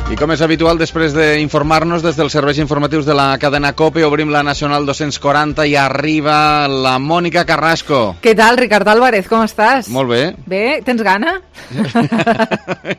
I com és habitual, després d'informar-nos des dels serveis informatius de la cadena COPE, obrim la Nacional dos-cents quaranta i arriba la Mònica Carrasco. Què tal, Ricard Álvarez, com estàs? Molt bé. Bé, tens gana?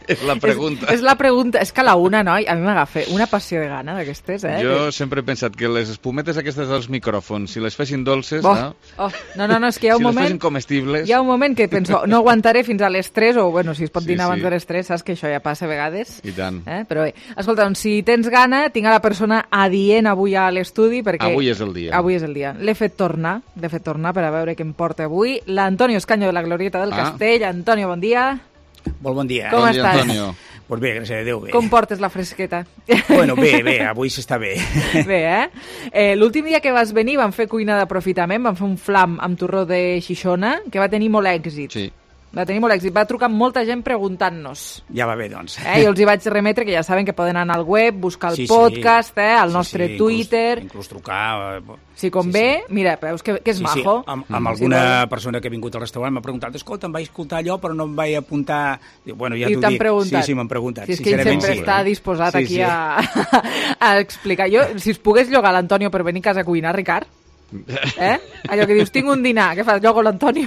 És la pregunta. És, és la pregunta. És que a la una, noi, a mi m'agafa una passió de gana d'aquestes, eh? Jo sempre he pensat que les espumetes aquestes dels micròfons, si les fessin dolces, oh, no? Oh, no, no, no, és que hi ha un si moment... les fessin comestibles... Hi ha un moment que penso, no aguantaré fins a les tres, o, bueno, si es pot Sí, dinar abans sí. de les tres, saps que això ja passa a vegades. I tant. Eh? Però bé, escolta, doncs, si tens gana, tinc a la persona adient avui a l'estudi, perquè... Avui és el dia. Avui és el dia. L'he fet tornar, l'he fet tornar per a veure què em porta avui. L'Antonio Escaño de la Glorieta del Ah. Castell. Antonio, bon dia. Molt bon dia. Com bon estàs? Dia, Antonio. Pues bé, gràcies a Déu, bé. Com portes la fresqueta? Bueno, bé, bé, avui s'està bé. Bé, eh? eh L'últim dia que vas venir vam fer cuina d'aprofitament, vam fer un flam amb torró de Xixona, que va tenir molt èxit. Sí. Va tenir molt èxit. Va trucar molta gent preguntant-nos. Ja va bé, doncs. Eh? Jo els hi vaig remetre, que ja saben que poden anar al web, buscar el Sí, sí. podcast, eh? al Sí, nostre sí, Twitter... Inclús, inclús trucar... eh, Si convé, sí, sí. Mira, veus que, que és sí, majo. Sí, amb, amb Mm. alguna Sí, persona que ha vingut al restaurant m'ha preguntat, escolta, em vaig escoltar allò, però no em vaig apuntar... Dic, bueno, ja I t'ho t'han dic. preguntat. Sí, sí, m'han preguntat. Si és que ell sempre sí. està disposat Sí, aquí sí. A, a explicar. Jo, si es pogués llogar l'Antonio per venir a casa a cuinar, Ricard, eh? Allò que dius, tinc un dinar, què fas? Llogo l'Antonio.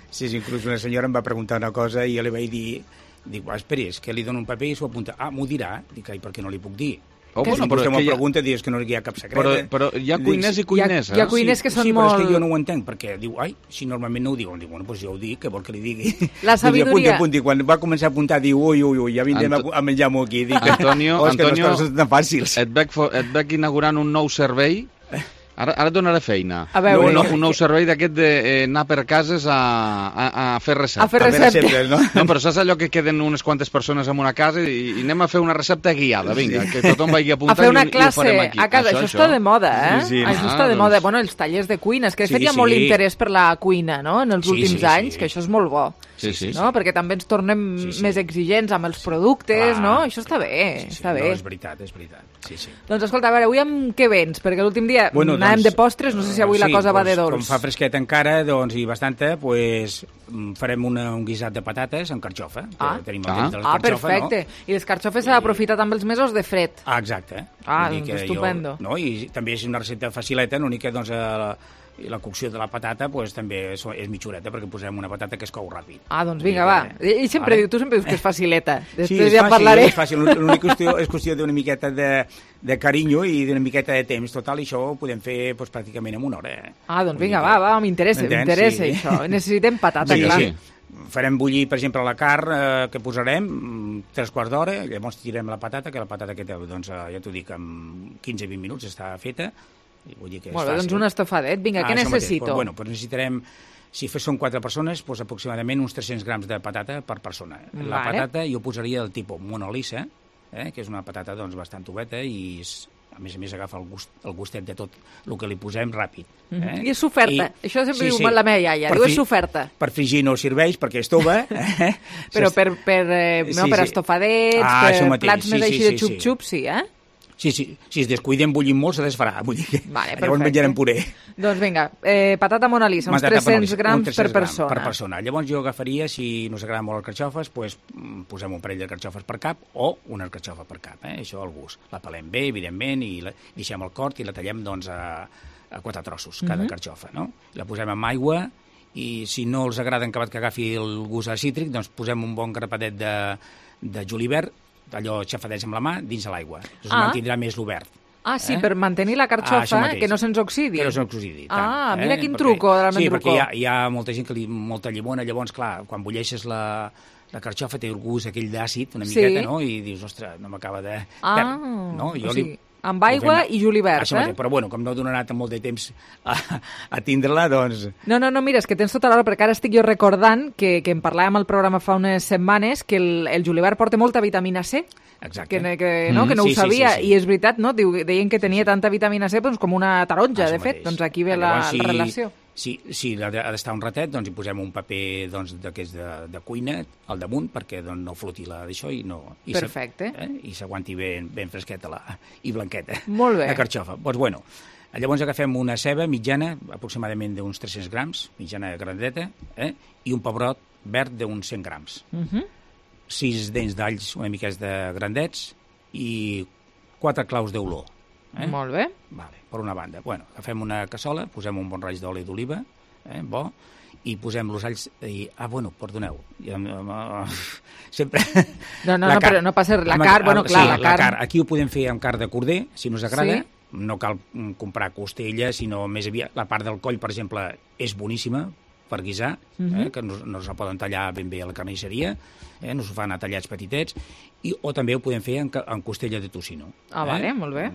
Sí, sí, inclús una senyora em va preguntar una cosa i jo li vaig dir, dic, va, esperi, és que li dono un paper i s'ho apunta. Ah, m'ho dirà? Dic, ai, per què no li puc dir? Oh, que bueno, si però vostè és m'ho que hi ha- pregunta, dius que no hi ha cap secret. Però, però hi ha cuiners i cuiners, Hi ha- hi ha cuiners que són sí, però és molt- que jo no ho entenc, perquè diu, ai, si normalment no ho diuen, dic, bueno, doncs jo ho dic, què vol que li digui? La sabidoria- Apunti, apunti. Quan va començar a apuntar, diu, ui, ui, ui, ja vindrem Anto- a, a menjar-m'ho aquí. Dic, Antonio, oh, és que Antonio, no són tan fàcils. et veig, fo- et veig inaugurant un nou servei. Ara, ara et donaré feina. A veure, un, nou, no, un nou servei d'aquest d'anar per cases a, a, a fer receptes. A fer receptes. no? No, però saps allò que queden unes quantes persones en una casa i, i anem a fer una recepta guiada, vinga, que tothom vagi A apuntant fer una i, i ho classe farem aquí. a casa, això, això està de moda, eh? Sí, sí. Això Ah, està de doncs- moda. Bueno, els tallers de cuina, és que de Sí, fet hi ha sí. molt interès per la cuina, no?, en els Sí, últims sí, anys, sí. que això és molt bo. Sí, sí. No? Perquè també ens tornem Sí, sí. més exigents amb els productes, Clar. no? Això està bé, Sí, sí, està bé. No, és veritat, és veritat. Sí, sí. Doncs escolta, a veure, avui amb què vens? Perquè l'últim dia Bueno, anàvem doncs, de postres, no sé si avui la sí, cosa va doncs, de dolç. Com fa fresquet encara, doncs, i bastanta, pues, mm, farem una, un guisat de patates amb carxofa. que Ah, tenim el Ah. temps de la ah carxofa, perfecte. I les carxofes s'ha d'aprofitar també els mesos de fred. No? Ah, exacte. Ah, Vull dir doncs que estupendo. Jo, no? I també és una recepta facileta, l'únic que doncs, la, i la cocció de la patata pues, també és, és mitjoreta, perquè posem una patata que es cou ràpid. Ah, doncs vinga, va. Ell sempre Vale. diu, tu sempre dius que és facileta. Després Sí, és ja en fàcil, parlaré. és fàcil. L'única qüestió és qüestió d'una miqueta de, de carinyo i d'una miqueta de temps. Total, i això ho podem fer pues, pràcticament en una hora. Eh? Ah, doncs vinga, va, va, m'interessa, M'entens? m'interessa Sí. això. Necessitem patata, Vinga, clar. sí. farem bullir, per exemple, la carn eh, que posarem, tres quarts d'hora, llavors tirem la patata, que la patata que té, doncs, ja t'ho dic, en quinze a vint minuts està feta. Vull dir que és Molt bé, fàcil. doncs un estofadet. Vinga, ah, què necessito? Pues, bueno, pues necessitarem, si són quatre persones, pues aproximadament uns tres-cents grams de patata per persona. Vale. La patata jo posaria del tipus monolissa, eh, que és una patata doncs, bastant oveta i és, a més a més agafa el, gust, el gustet de tot el que li posem ràpid. Eh? Mm-hmm. I és soferta. I... Això sempre sí, diu sí. la meva iaia. Per diu fi... és soferta. Per frigir no serveix perquè és tova. Eh? Però per, per, eh, no, sí, per sí. estofadets, ah, per plats sí, més sí, així sí, de xup-xup, sí, eh? Sí, sí, si es descuiden bullint molt se desfarà. Vull dir que vale, llavors menjarem puré. Doncs vinga, eh, patata Mona Lisa, uns tres-cents grams per persona. per persona. Llavors jo agafaria, si no us agraden molt les carxofes, pues, posem un parell de carxofes per cap o una carxofa per cap, eh? Això al gust. La pelem bé, evidentment, i la, deixem el cort i la tallem doncs, a, a quatre trossos, cada mm-hmm. carxofa. No? La posem amb aigua i si no els agrada acabat que agafi el gust cítric, doncs posem un bon grapadet de, de julivert, allò xafadets amb la mà, dins de l'aigua. Això ah. mantindrà més l'obert. Ah, sí, eh? per mantenir la carxofa, ah, que no se'ns oxidi. Que no se'ns oxidi, tant. Ah, mira eh? quin perquè, truco, realment sí, truco. Sí, perquè hi ha, hi ha molta gent que li molta llimona, llavors, clar, quan bulleixes la, la carxofa té el gust aquell d'àcid, una miqueta, sí. no? I dius, ostres, no m'acaba de... Ah, no? Jo o sigui, li... amb aigua i julivert, Això eh? Mateix, però bueno, com no donarà tant molt de temps a, a tindre-la, doncs... No, no, no, mira, és que tens tota l'hora, perquè ara estic jo recordant que, que en parlàvem al programa fa unes setmanes que el, el julivert porta molta vitamina C. Exacte. Que, que, no, que no mm, ho sí, sabia, sí, sí, sí. i és veritat, no? Diu, deien que tenia tanta vitamina C doncs, com una taronja, Això de fet. mateix. Doncs aquí ve la, Llavors, si, la relació. Si, si ha d'estar un ratet, doncs hi posem un paper doncs, d'aquests de, de cuina al damunt perquè doncs, no floti la d'això i no... I Perfecte. Eh, I s'aguanti ben, ben fresqueta la, i blanqueta. Molt bé. La carxofa. Doncs bueno, llavors agafem una ceba mitjana, aproximadament d'uns tres-cents grams, mitjana grandeta, eh, i un pebrot verd d'uns cent grams. Uh -huh. Sis dents d'alls una mica de grandets i quatre claus d'olor. Eh? Molt bé. Vale, per una banda. Bueno, agafem una cassola, posem un bon raig d'oli d'oliva, eh, bo, i posem els alls... I, ah, bueno, perdoneu. Ja, uh, sempre... No, no, no, però no passa res. La carn, bueno, clar, sí, la, la carn... carn. Aquí ho podem fer amb carn de corder, si no us agrada. Sí. No cal comprar costella, sinó més aviat... La part del coll, per exemple, és boníssima per guisar, eh, Mhm. que no, no se poden tallar ben bé a la carnisseria, eh, no s'ho fan a tallats petitets, i, o també ho podem fer en, ca- en costella de tocino. Ah, eh? vale, molt bé.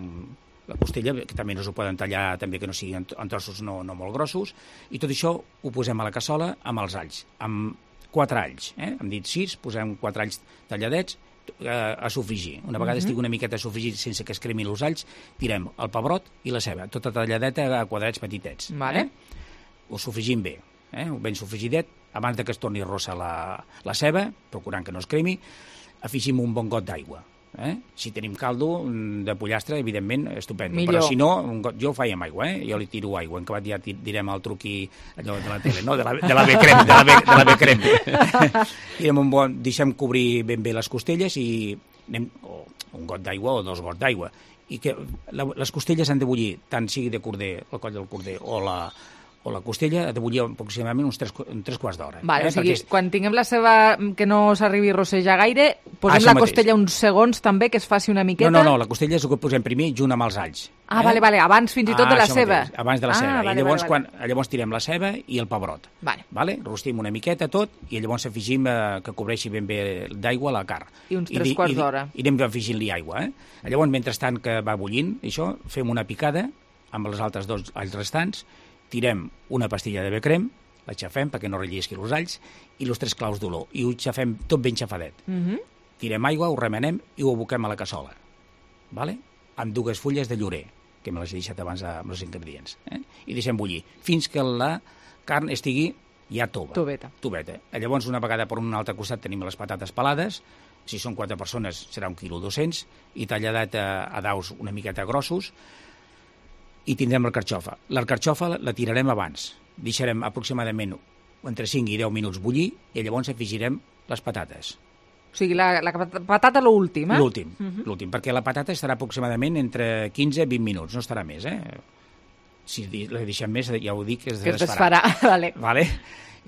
La costella, que també no s'ho poden tallar, també que no siguin en trossos no, no molt grossos, i tot això ho posem a la cassola amb els alls, amb quatre alls, eh? Hem dit sis, posem quatre alls talladets eh, a sofregir. Una vegada Mhm. estigui una miqueta sofregit sense que es cremin els alls, tirem el pebrot i la ceba, tota talladeta a quadrats petitets. Vale. Eh? Ho sofregim bé, eh? ben sofregidet, abans de que es torni rossa la, la ceba, procurant que no es cremi, afegim un bon got d'aigua. Eh? Si tenim caldo de pollastre, evidentment, estupendo. Millor. Però si no, un got, jo ho faig amb aigua, eh? Jo li tiro aigua. En acabat ja ti- direm el truqui allò de la tele, no? De la, de la B-crem, de la B, de la B-crem. Direm un bon, deixem cobrir ben bé les costelles i anem, o un got d'aigua o dos gots d'aigua. I que la, les costelles han de bullir, tant sigui de corder, el coll del corder o la, o la costella, ha de bullir aproximadament uns tres, uns tres quarts d'hora. Vale, eh? o sigui, Perquè és- quan tinguem la ceba que no s'arribi a rossejar gaire, posem Això la mateix. costella uns segons també, que es faci una miqueta. No, no, no, la costella és el que posem primer junt amb els alls. Ah, vale, vale, abans fins i tot Ah, de la això ceba. mateix, abans de la Ah, ceba. vale, I llavors, vale, vale. quan, llavors tirem la ceba i el pebrot. Vale. Vale? Rostim una miqueta tot i llavors afegim eh, que cobreixi ben bé d'aigua la carn. I uns tres di- quarts i di- d'hora. I anem afegint-li aigua. Eh? Llavors, mentrestant que va bullint, això, fem una picada amb els altres dos alls restants, tirem una pastilla de becrem, la xafem perquè no rellisqui els alls, i els tres claus d'olor. I ho xafem tot ben xafadet. Mhm. Tirem aigua, ho remenem i ho aboquem a la cassola. Vale? Amb dues fulles de llorer, que me les he deixat abans amb els ingredients. Eh? I deixem bullir fins que la carn estigui ja tova. Toveta. Toveta. Llavors, una vegada per un altre costat tenim les patates pelades, si són quatre persones serà un quilo dos-cents, i talladet a, a daus una miqueta grossos, i tindrem la carxofa. La carxofa la tirarem abans. Deixarem aproximadament entre cinc i deu minuts bullir i llavors afegirem les patates. O sigui, la, la patata l'últim, eh? L'últim, Mhm. l'últim, perquè la patata estarà aproximadament entre quinze i vint minuts, no estarà més, eh? Si di- la deixem més, ja ho dic, es Que es desfarà. desfarà, vale. Vale?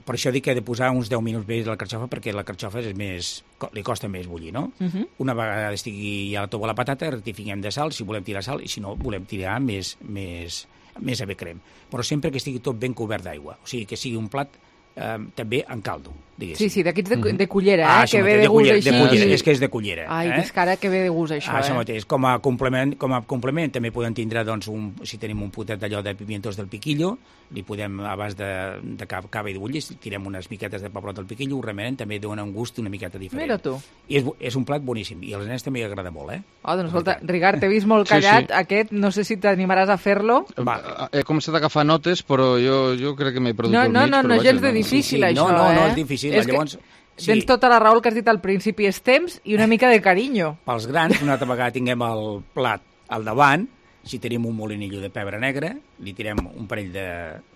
Per això dic que he de posar uns deu minuts més la carxofa, perquè la carxofa és més, co- li costa més bullir, no? Mhm. Una vegada estigui ja tova la patata, rectifiquem de sal, si volem tirar sal, i si no, volem tirar més, més, més ave crem. Però sempre que estigui tot ben cobert d'aigua, o sigui, que sigui un plat eh, també en caldo. Sí, sí, d'aquí de, de cullera, eh? Ah, que ve de, de gust així. De cullera, és que és de cullera. Ai, eh? és que ara que ve de gust això, ah, això eh? mateix. Com a complement, com a complement també podem tindre, doncs, un, si tenim un potet d'allò de pimientos del piquillo, li podem, abans de, de cava i d'ull, tirem unes miquetes de pebrot del piquillo, ho remenem, també dona un gust una miqueta diferent. Mira tu. I és, és un plat boníssim, i als nens també agrada molt, eh? Oh, doncs escolta, Ricard, t'he vist molt callat, sí, sí. Aquest, no sé si t'animaràs a fer-lo. Va. He començat a agafar notes, però jo, jo crec que m'he perdut no, el no, mig. No, no, no, no, gens de difícil, sí, sí. això, no, no, eh? No, és difícil, és llavors... Sí. Tens tota la raó el que has dit al principi, és temps i una mica de carinyo. Pels grans, una altra vegada tinguem el plat al davant, si tenim un molinillo de pebre negre, li tirem un parell de,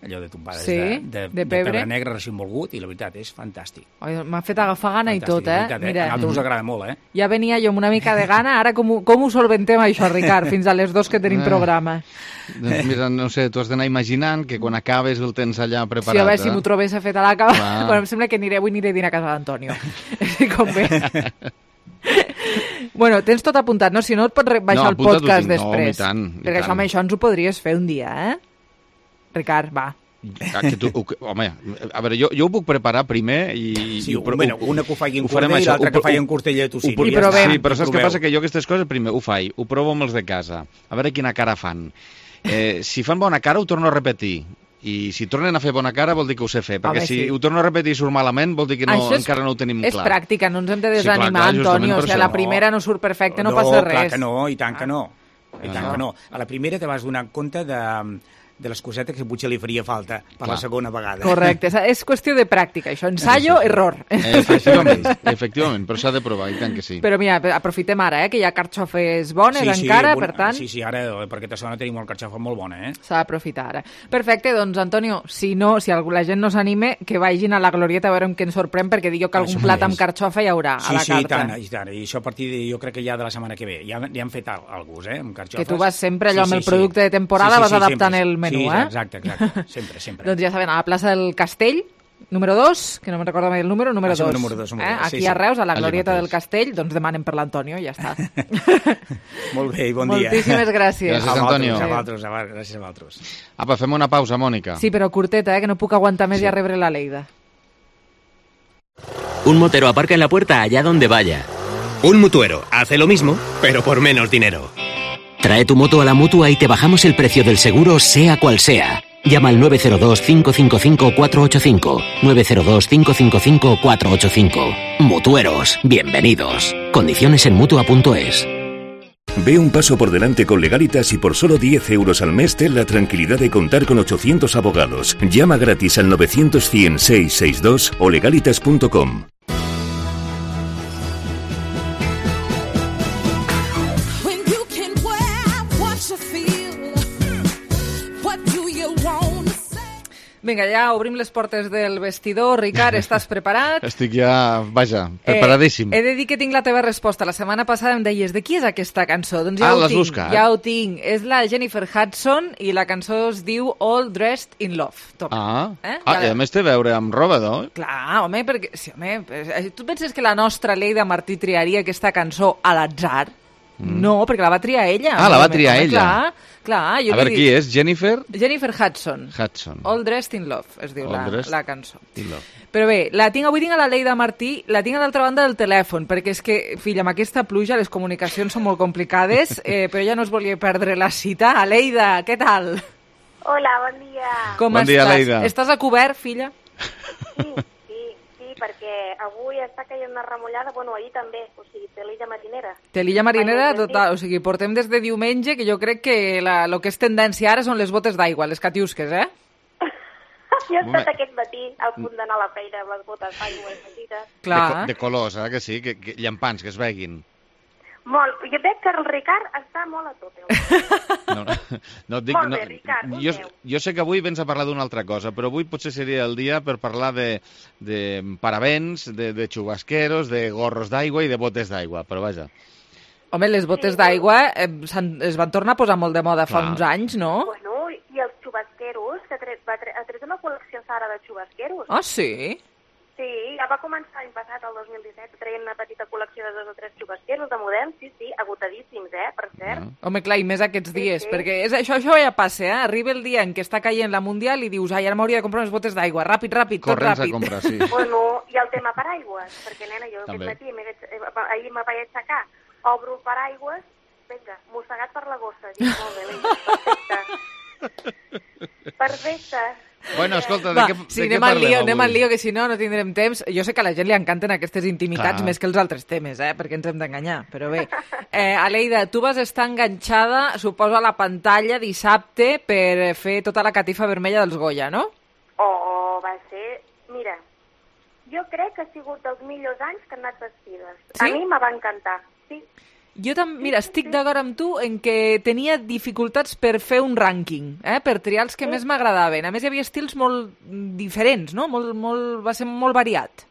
allò de tombades sí, de, de, de, de pebre negre recent volgut, i la veritat és fantàstic. M'ha fet agafar gana fantàstic, i tot, eh? Veritat, Mira, eh? A nosaltres us agrada molt, eh? Ja venia jo amb una mica de gana, ara com, com ho solventem això, Ricard, fins a les dos que tenim programa? Doncs mira, no sé, tu has d'anar imaginant que quan acabes el tens allà preparat. Sí, a veure eh? si m'ho trobés a fet a la cava. Bueno, em sembla que aniré, avui aniré a dinar a casa d'Antonio. Si convé. Bueno, tens tot apuntat, no? Si no et pots baixar no, el podcast després. No, i tant, i perquè tant. això amb això ens ho podries fer un dia, eh? Ricard, va. Ah, que tu, home, a veure, jo, jo ho puc preparar primer i... Sí, i ho, un, bueno, una que ho faig en ho cordell i l'altra que ho faig en costella de tocino. I provem. Sí, però saps què passa? Que jo aquestes coses primer ho faig, ho provo amb els de casa, a veure quina cara fan. Eh, si fan bona cara ho torno a repetir. I si tornen a fer bona cara vol dir que ho sé fer, perquè Home, si sí. ho torno a repetir i surt malament vol dir que no, és, encara no ho tenim és clar. És pràctica, no ens hem de desanimar, sí, clar, clar, Antonio. O sigui, la primera no surt perfecte, no, no passa res. No, clar que no, i tant que no. I tant que no. A la primera te vas donar compte de... de les cosetes que potser li faria falta per Clar. la segona vegada. Correcte, és qüestió de pràctica, això, ensayo, sí, sí. error. Efectivament, efectivament, però s'ha de provar, i tant que sí. Però mira, aprofitem ara, eh, que hi ha carxofes bones sí, sí, encara, bon, per tant... Sí, sí, ara per aquesta zona tenim una carxofa molt bona, eh? S'ha d'aprofitar ara. Perfecte, doncs, Antonio, si no, si la gent no s'anime, que vagin a la glorieta a veure què ens sorprèn, perquè dic jo que algun plat amb carxofa hi haurà sí, a la sí, carta. Sí, i tant, i això a partir de, jo crec que ja de la setmana que ve. Ja, ja han fet alguns, eh, amb carxofes. Que tu vas sempre allò sí, amb sí, el producte sí. de temporada, sí, sí, vas sí, adaptant sempre. el menú, sí, eh? Exacte, exacte, sempre, sempre. Doncs ja saben, a la plaça del Castell, número dos, que no me'n recordo mai el número, número dos. Ah, número dos, número eh? dos. Aquí Sí, sí. a Reus, a la glorieta del Castell, doncs demanen per l'Antonio, ja està. Molt bé, i bon dia. Moltíssimes gràcies. Gràcies, Antonio. A vosaltres, a vosaltres, gràcies a vosaltres. Apa, fem una pausa, Mònica. Sí, però curteta, eh, que no puc aguantar més sí. i a rebre la Leida. Un motero aparca en la puerta allá donde vaya. Un mutuero hace lo mismo, pero por menos dinero. Trae tu moto a la Mutua y te bajamos el precio del seguro, sea cual sea. Llama al nueve cero dos, cinco cinco cinco, cuatro ocho cinco. nueve cero dos, cinco cinco cinco, cuatro ocho cinco. Mutueros, bienvenidos. Condiciones en Mutua punto es. Ve un paso por delante con Legalitas y por solo diez euros al mes ten la tranquilidad de contar con ochocientos abogados. Llama gratis al novecientos, cien, seiscientos sesenta y dos o legalitas punto com. Vinga, ja obrim les portes del vestidor. Ricard, estàs preparat? Estic ja, vaja, preparadíssim. Eh, he de dir que tinc la teva resposta. La setmana passada em deies, de qui és aquesta cançó? Doncs ja ah, ho tinc, buscat. Ja ho tinc. És la Jennifer Hudson i la cançó es diu All Dressed in Love. Toma. Ah, eh? ah i a més té a veure amb roba, no? Clar, home, perquè... Sí, home, tu penses que la nostra Leida Martí triaria aquesta cançó a l'atzar? Mm. No, perquè la va triar ella. Ah, la va triar home, ella. Clar, clar. Jo a veure, dic... qui és? Jennifer? Jennifer Hudson. Hudson. All Dressed in Love, es diu la, la cançó. Love. Però bé, la tinc, avui tinc a la Leida Martí, la tinc a l'altra banda del telèfon, perquè és que, filla, amb aquesta pluja les comunicacions són molt complicades, eh, però ja no es volia perdre la cita. Leida, què tal? Hola, bon dia. Com bon estàs? dia, Leida. Estàs a cobert, filla? Sí, sí, sí, perquè avui està caient una remullada, bueno, ahir també, o sigui, té l'illa marinera. Té l'illa marinera, total, o sigui, portem des de diumenge, que jo crec que la, lo que és tendència ara són les botes d'aigua, les catiusques, eh? Jo he estat aquest matí al punt d'anar a la feina amb les botes d'aigua i petites. Clar. De, de colors, eh, que sí, que, que llampants, que es veguin. Molt. Jo veig que el Ricard està molt a tope. No, no et dic, molt bé, no, Ricard, jo, jo sé que avui vens a parlar d'una altra cosa, però avui potser seria el dia per parlar de, de paravents, de, de xubasqueros, de gorros d'aigua i de botes d'aigua, però vaja. Home, les botes sí, d'aigua eh, es van tornar a posar molt de moda fa Clar. uns anys, no? Bueno, i els xubasqueros, que ha tret, va tret, ha tret una col·lecció Sara de xubasqueros. Ah, sí? Sí, ja va començar l'any passat, el dos mil disset, traient una petita col·lecció de dos o tres xugasqueros de moderns, sí, sí, agotadíssims, eh, per cert. Mm. Home, clar, i més aquests Sí, dies, sí. perquè és, això, això ja passa, eh? Arriba el dia en què està caient la Mundial i dius, ai, ara m'hauria de comprar unes botes d'aigua, ràpid, ràpid, tot Corrents a ràpid. comprar, sí. Bueno, i el tema paraigües, perquè, nena, jo També. aquest matí, m'he vaig- eh, ahir me vaig aixecar, obro el paraigües, vinga, mossegat per la gossa, dic, molt bé, vinga, perfecte. Perfecte. Bueno, escolta, de Va, què, sí, de què anem al parlem lío, anem al avui? lío, que si no, no tindrem temps. Jo sé que a la gent li encanten aquestes intimitats Clar. més que els altres temes, eh? Perquè ens hem d'enganyar, però bé. Eh, Aleida, tu vas estar enganxada, suposo, a la pantalla dissabte per fer tota la catifa vermella dels Goya, no? Oh, va ser... Mira, jo crec que ha sigut dels millors anys que han anat vestides. Sí? A mi me va encantar, sí. Jo també, mira, estic d'acord amb tu en que tenia dificultats per fer un rànquing, eh? Per triar els que més m'agradaven. A més, hi havia estils molt diferents, no? Molt, molt, va ser molt variat.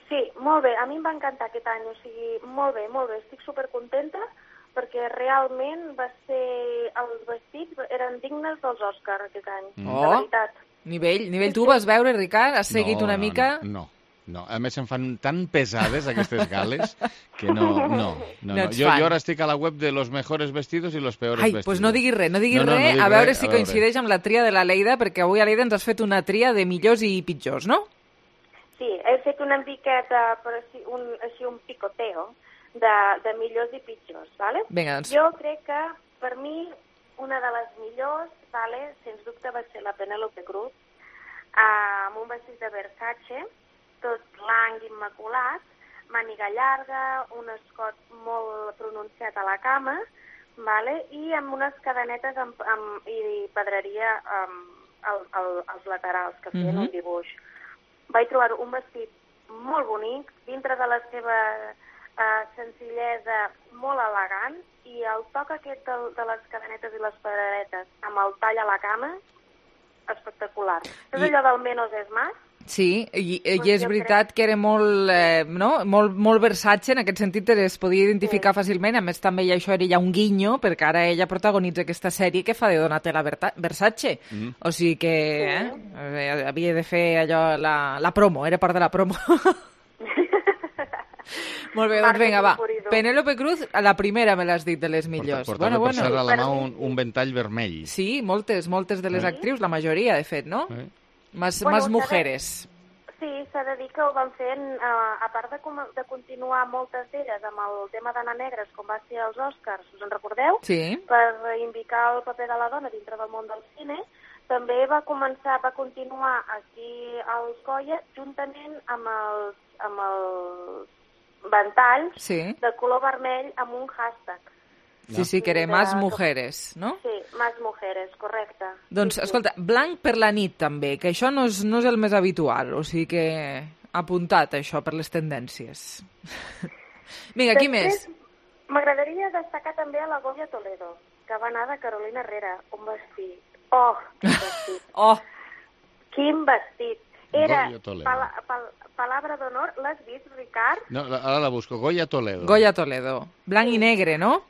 Sí, molt bé, a mi em va encantar aquest any, o sigui, molt bé, molt bé, estic supercontenta perquè realment va ser... Els vestits eren dignes dels Oscars aquest any, Mm. de Oh. veritat. Nivell, nivell, tu ho vas veure, Ricard? Has seguit No, una no, mica? No, no. No, a més em fan tan pesades aquestes gales que no, no, no, No no. ets Jo, fan. jo ara estic a la web de los mejores vestidos i los peores Ai, vestidos. doncs no diguis res, no diguis No, no, no res, dic a veure res, si a veure. coincideix amb la tria de la Leida, perquè avui a Leida ens has fet una tria de millors i pitjors, no? Sí, he fet una miqueta, per així, un, així un picoteo de, de millors i pitjors, ¿vale? Vinga, doncs. Jo crec que, per mi, una de les millors, ¿vale? Sens dubte va ser la Penélope Cruz, amb un vestit de Versace, tot blanc, immaculat, màniga llarga, un escot molt pronunciat a la cama, ¿vale? I amb unes cadenetes amb, amb, i pedreria amb, al, al, als laterals, que feien Mhm. un dibuix. Vaig trobar un vestit molt bonic, dintre de la seva uh, senzillesa molt elegant, i el toc aquest de, de les cadenetes i les pedreretes amb el tall a la cama, espectacular. És I- allò del menos és más? Sí, i, i Doncs és jo veritat que era molt, eh, no? molt, molt Versace, en aquest sentit es podia identificar fàcilment, a més també ja això era ja un guinyo, perquè ara ella protagonitza aquesta sèrie que fa de Donatella Berta- Versace, Mm. o sigui que eh, eh, havia de fer allò, la, la promo, era part de la promo. Molt bé, doncs vinga, va. Penélope Cruz, a la primera me l'has dit de les millors. Portava per ser a la mà un, un ventall vermell. Sí, moltes, moltes de les Sí. actrius, la majoria, de fet, no? Eh? Más, Bueno, más s'ha de- mujeres. Sí, s'ha de dir que ho van fent, eh, a part de, com, de continuar moltes d'elles amb el tema d'Anna Negres, com va ser als Oscars, us en recordeu? Sí. Per reivindicar el paper de la dona dintre del món del cine, també va començar, va continuar aquí als Goya, juntament amb els, amb els ventalls Sí. de color vermell amb un hashtag. Sí, sí, que era De- más mujeres, no? Sí, más mujeres, correcte. Doncs, Sí, sí. escolta, blanc per la nit també, que això no és, no és el més habitual, o sigui que apuntat això per les tendències. Vinga, qui més? Després, m'agradaria destacar també a la Goya Toledo, que va anar de Carolina Herrera, un vestit. Oh, quin vestit. oh. Quin vestit. Era, Goya Toledo. pala, pal, palabra d'honor, l'has vist, Ricard? No, la- ara la busco. Goya Toledo. Goya Toledo. Blanc i negre, no?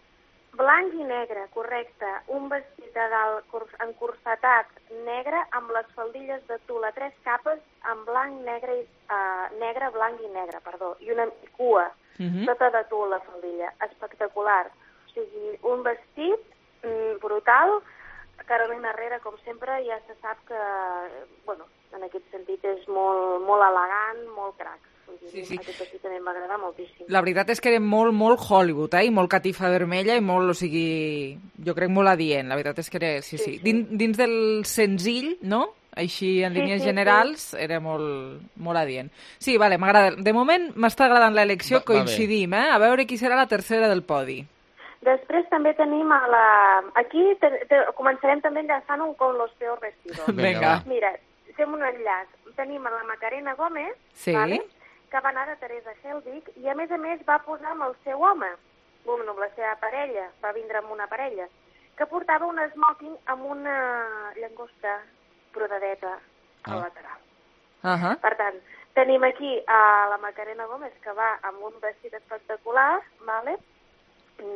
Blanc i negre, correcte. Un vestit de dalt curs- encursetat negre amb les faldilles de tul a tres capes amb blanc, negre, i, uh, negre, blanc i negre, perdó. I una cua, Mhm. tota de tul la faldilla. Espectacular. O sigui, un vestit mm, brutal. Carolina Herrera, com sempre, ja se sap que, bueno, en aquest sentit és molt, molt elegant, molt crac. Sí, sí. Aquest vestit també m'agrada moltíssim. La veritat és que era molt, molt Hollywood, eh? I molt catifa vermella i molt, o sigui, jo crec molt adient. La veritat és que era, sí, sí. Dins, dins del senzill, no? Així, en Sí, línies sí, generals, sí. era molt, molt adient. Sí, vale, m'agrada. De moment m'està agradant l'elecció, Va- va bé. coincidim, eh? A veure qui serà la tercera del podi. Després també tenim a la... Aquí te, te, començarem també enllaçant-ho con los peor vestidos. Vinga, va. Mira, fem un enllaç. Tenim a la Macarena Gómez, Sí. vale? Que va anar de Teresa Helbig, i a més a més va posar amb el seu home, bueno, amb la seva parella, va vindre amb una parella, que portava un smoking amb una llagosta brodadeta al Ah. lateral. Uh -huh. Per tant, tenim aquí a la Macarena Gómez, que va amb un vestit espectacular, vale?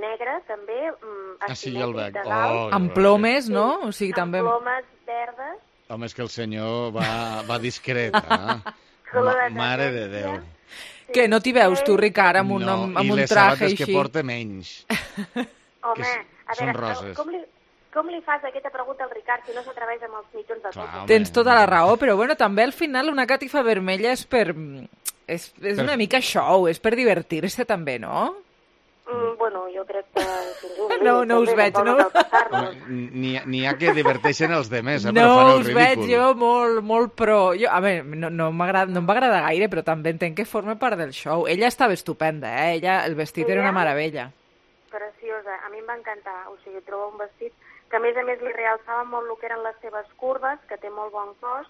negre també, mm, Ah, sí, ja el veig. asimètric de dalt, Oh, Amb plomes, no? O sigui, també... amb plomes verdes. Home, és que el senyor va, va discret, eh? color de Mare de Déu. Que no t'hi veus tu, Ricard, amb un, No, amb, amb i un les traje sabates així? que porta menys. Home, a són veure, roses. com li, com li fas aquesta pregunta al Ricard si no s'atreveix amb els mitjons de tot? Tens tota la raó, però bueno, també al final una catifa vermella és per... És, és Per- una mica show, és per divertir-se també, no? Mm, bueno, jo crec que... No, no us veig, no? N'hi ha- n'hi ha que diverteixen els demés, eh, No però fan el us veig ridícul. jo molt, molt pro. Jo, a veure, no, no m'agrada, no em va agradar gaire, però també entenc que forma part del show. Ella estava estupenda, eh? Ella, el vestit era una Ella? meravella. Preciosa, a mi em va encantar. O sigui, trobo un vestit que a més a més li realçava molt el que eren les seves curves, que té molt bon cos,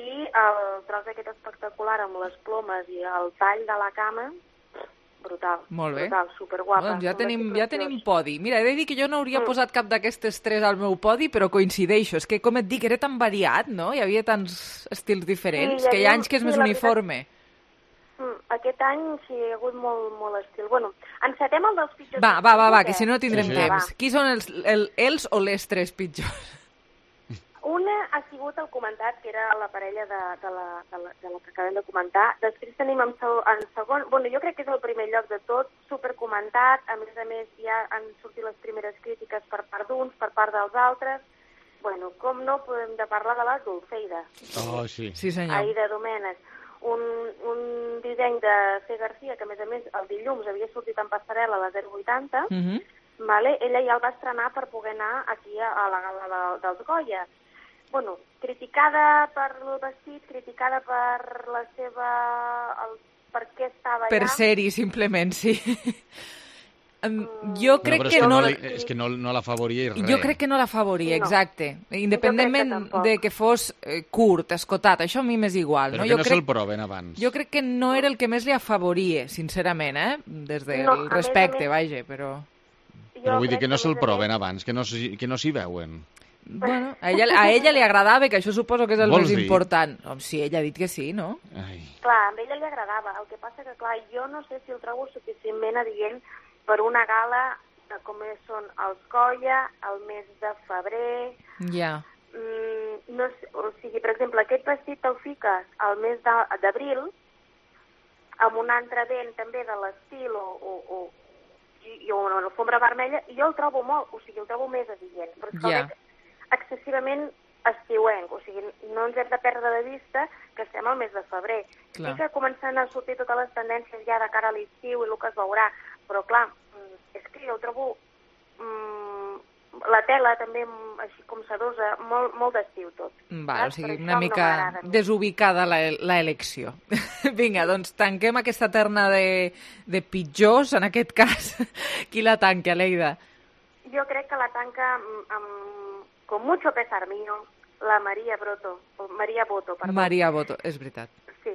i el tros aquest espectacular amb les plomes i el tall de la cama, brutal. Molt bé. Brutal, superguapa. Doncs ja Un tenim, vestit ja preciós. tenim podi. Mira, he de dir que jo no hauria Mm. posat cap d'aquestes tres al meu podi, però coincideixo. És que, com et dic, era tan variat, no? Hi havia tants estils diferents, Sí, hi que hi ha havia- anys que és sí, més la veritat- uniforme. Mm, aquest any sí, hi ha hagut molt, molt estil. Bueno, encetem el dels pitjors. Va, va, va, va, eh? que si no no tindrem Sí, temps. va. Qui són els, el, els o les tres pitjors? Una ha sigut el comentat, que era la parella de, de, la, de, la, de la que acabem de comentar. Després tenim en, seg en segon... Bueno, jo crec que és el primer lloc de tot, supercomentat. A més a més, ja han sortit les primeres crítiques per part d'uns, per part dels altres. Bueno, com no podem de parlar de la Dulceida. Oh, sí. Sí, senyor. Aida Domènech. Un, un disseny de C. Garcia, que a més a més el dilluns havia sortit en passarel·la a la zero vuitanta, Mm -hmm. vale? Ella ja el va estrenar per poder anar aquí a, a la gala de, dels Goya. Bueno, criticada per el vestit, criticada per la seva... El, per què estava Per allà. ser-hi, simplement, sí. Em, jo No, crec però és que que no... no, li, és que no, no l'afavoria res. Jo crec que no l'afavoria, No. exacte. Independentment tampoc. de que fos eh, curt, escotat, això a mi m'és igual. Però no? que Jo no crec, se'l proven abans. jo crec que no era el que més li afavoria, sincerament, eh? Des del No, a més a respecte, més- vaja, però... Però vull dir crec que no a se'l més a proven més- abans, que no, s'hi- que no s'hi veuen. Bueno, a ella, a ella li agradava, que això suposo que és el Vols més dir? important. Home, sí, ella ha dit que sí, no? Ai. Clar, a ella li agradava. El que passa que, clar, jo no sé si el trobo suficientment adient per una gala de com és, són els Goya, el mes de febrer... Ja. Mm, no sé, o sigui, per exemple, aquest vestit te'l fiques al mes de- d'abril, amb un altre vent també de l'estil o, o, o, i, i una alfombra vermella, i jo el trobo molt, o sigui, el trobo més adient. Però és que Ja. el veig excessivament estiuenc, o sigui, no ens hem de perdre de vista que estem al mes de febrer. Clar. Sí que comencen a sortir totes les tendències ja de cara a l'estiu i el que es veurà, però clar, mm, és que jo el trobo mm, la tela també mm, així com sedosa, molt, molt d'estiu tot. Val, o Saps? sigui, Per una això no mica m'agrada a mi. desubicada la, la elecció. Vinga, doncs tanquem aquesta terna de, de pitjors, en aquest cas. Qui la tanca, Leida? Jo crec que la tanca amb, amb, con mucho pesar mío, la Maria Broto, o Maria Boto, perdó. Maria Boto, és veritat. Sí.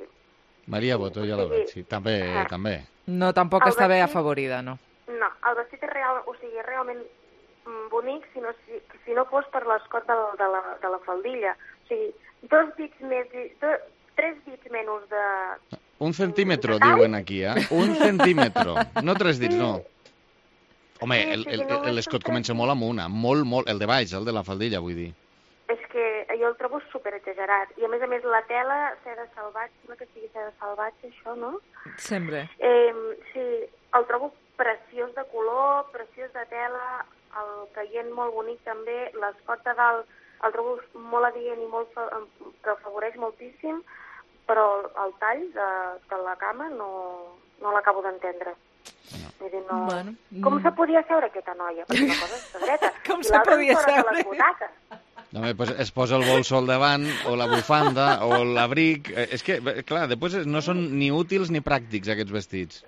Maria Boto, ja la veig, sí. També, Ah. també. No, tampoc El està bé vestit- afavorida, no. No, el vestit és real, o sigui, és realment mm, bonic si no, si, si no fos per l'escot de, la- de, la, de la faldilla. O sigui, dos dits més, do, tres dits menys de... Un centímetro, Detall? diuen aquí, eh? Un centímetro. No tres dits, no. Home, Sí, el- sí, el- no, el- és l'escot un comença tres molt amunt, eh? molt, molt, el de baix, el de la faldilla, vull dir. És que jo el trobo super exagerat. I a més a més la tela, seda salvatge, no que sigui seda salvatge, això, no? Sempre. Eh, sí, el trobo preciós de color, preciós de tela, el caient molt bonic també, l'escot de dalt el trobo molt adient i molt, fa- que afavoreix moltíssim, però el tall de, de la cama no, no l'acabo d'entendre. Vull dir, no... Bueno, Com mm. se podia seure aquesta noia? Perquè una cosa és dreta. Com i se l'altra podia fora de seure? les butaques. Home, pues es posa el bolso al davant, o la bufanda, o l'abric... Eh, És que, eh, clar, després no són ni útils ni pràctics, aquests vestits.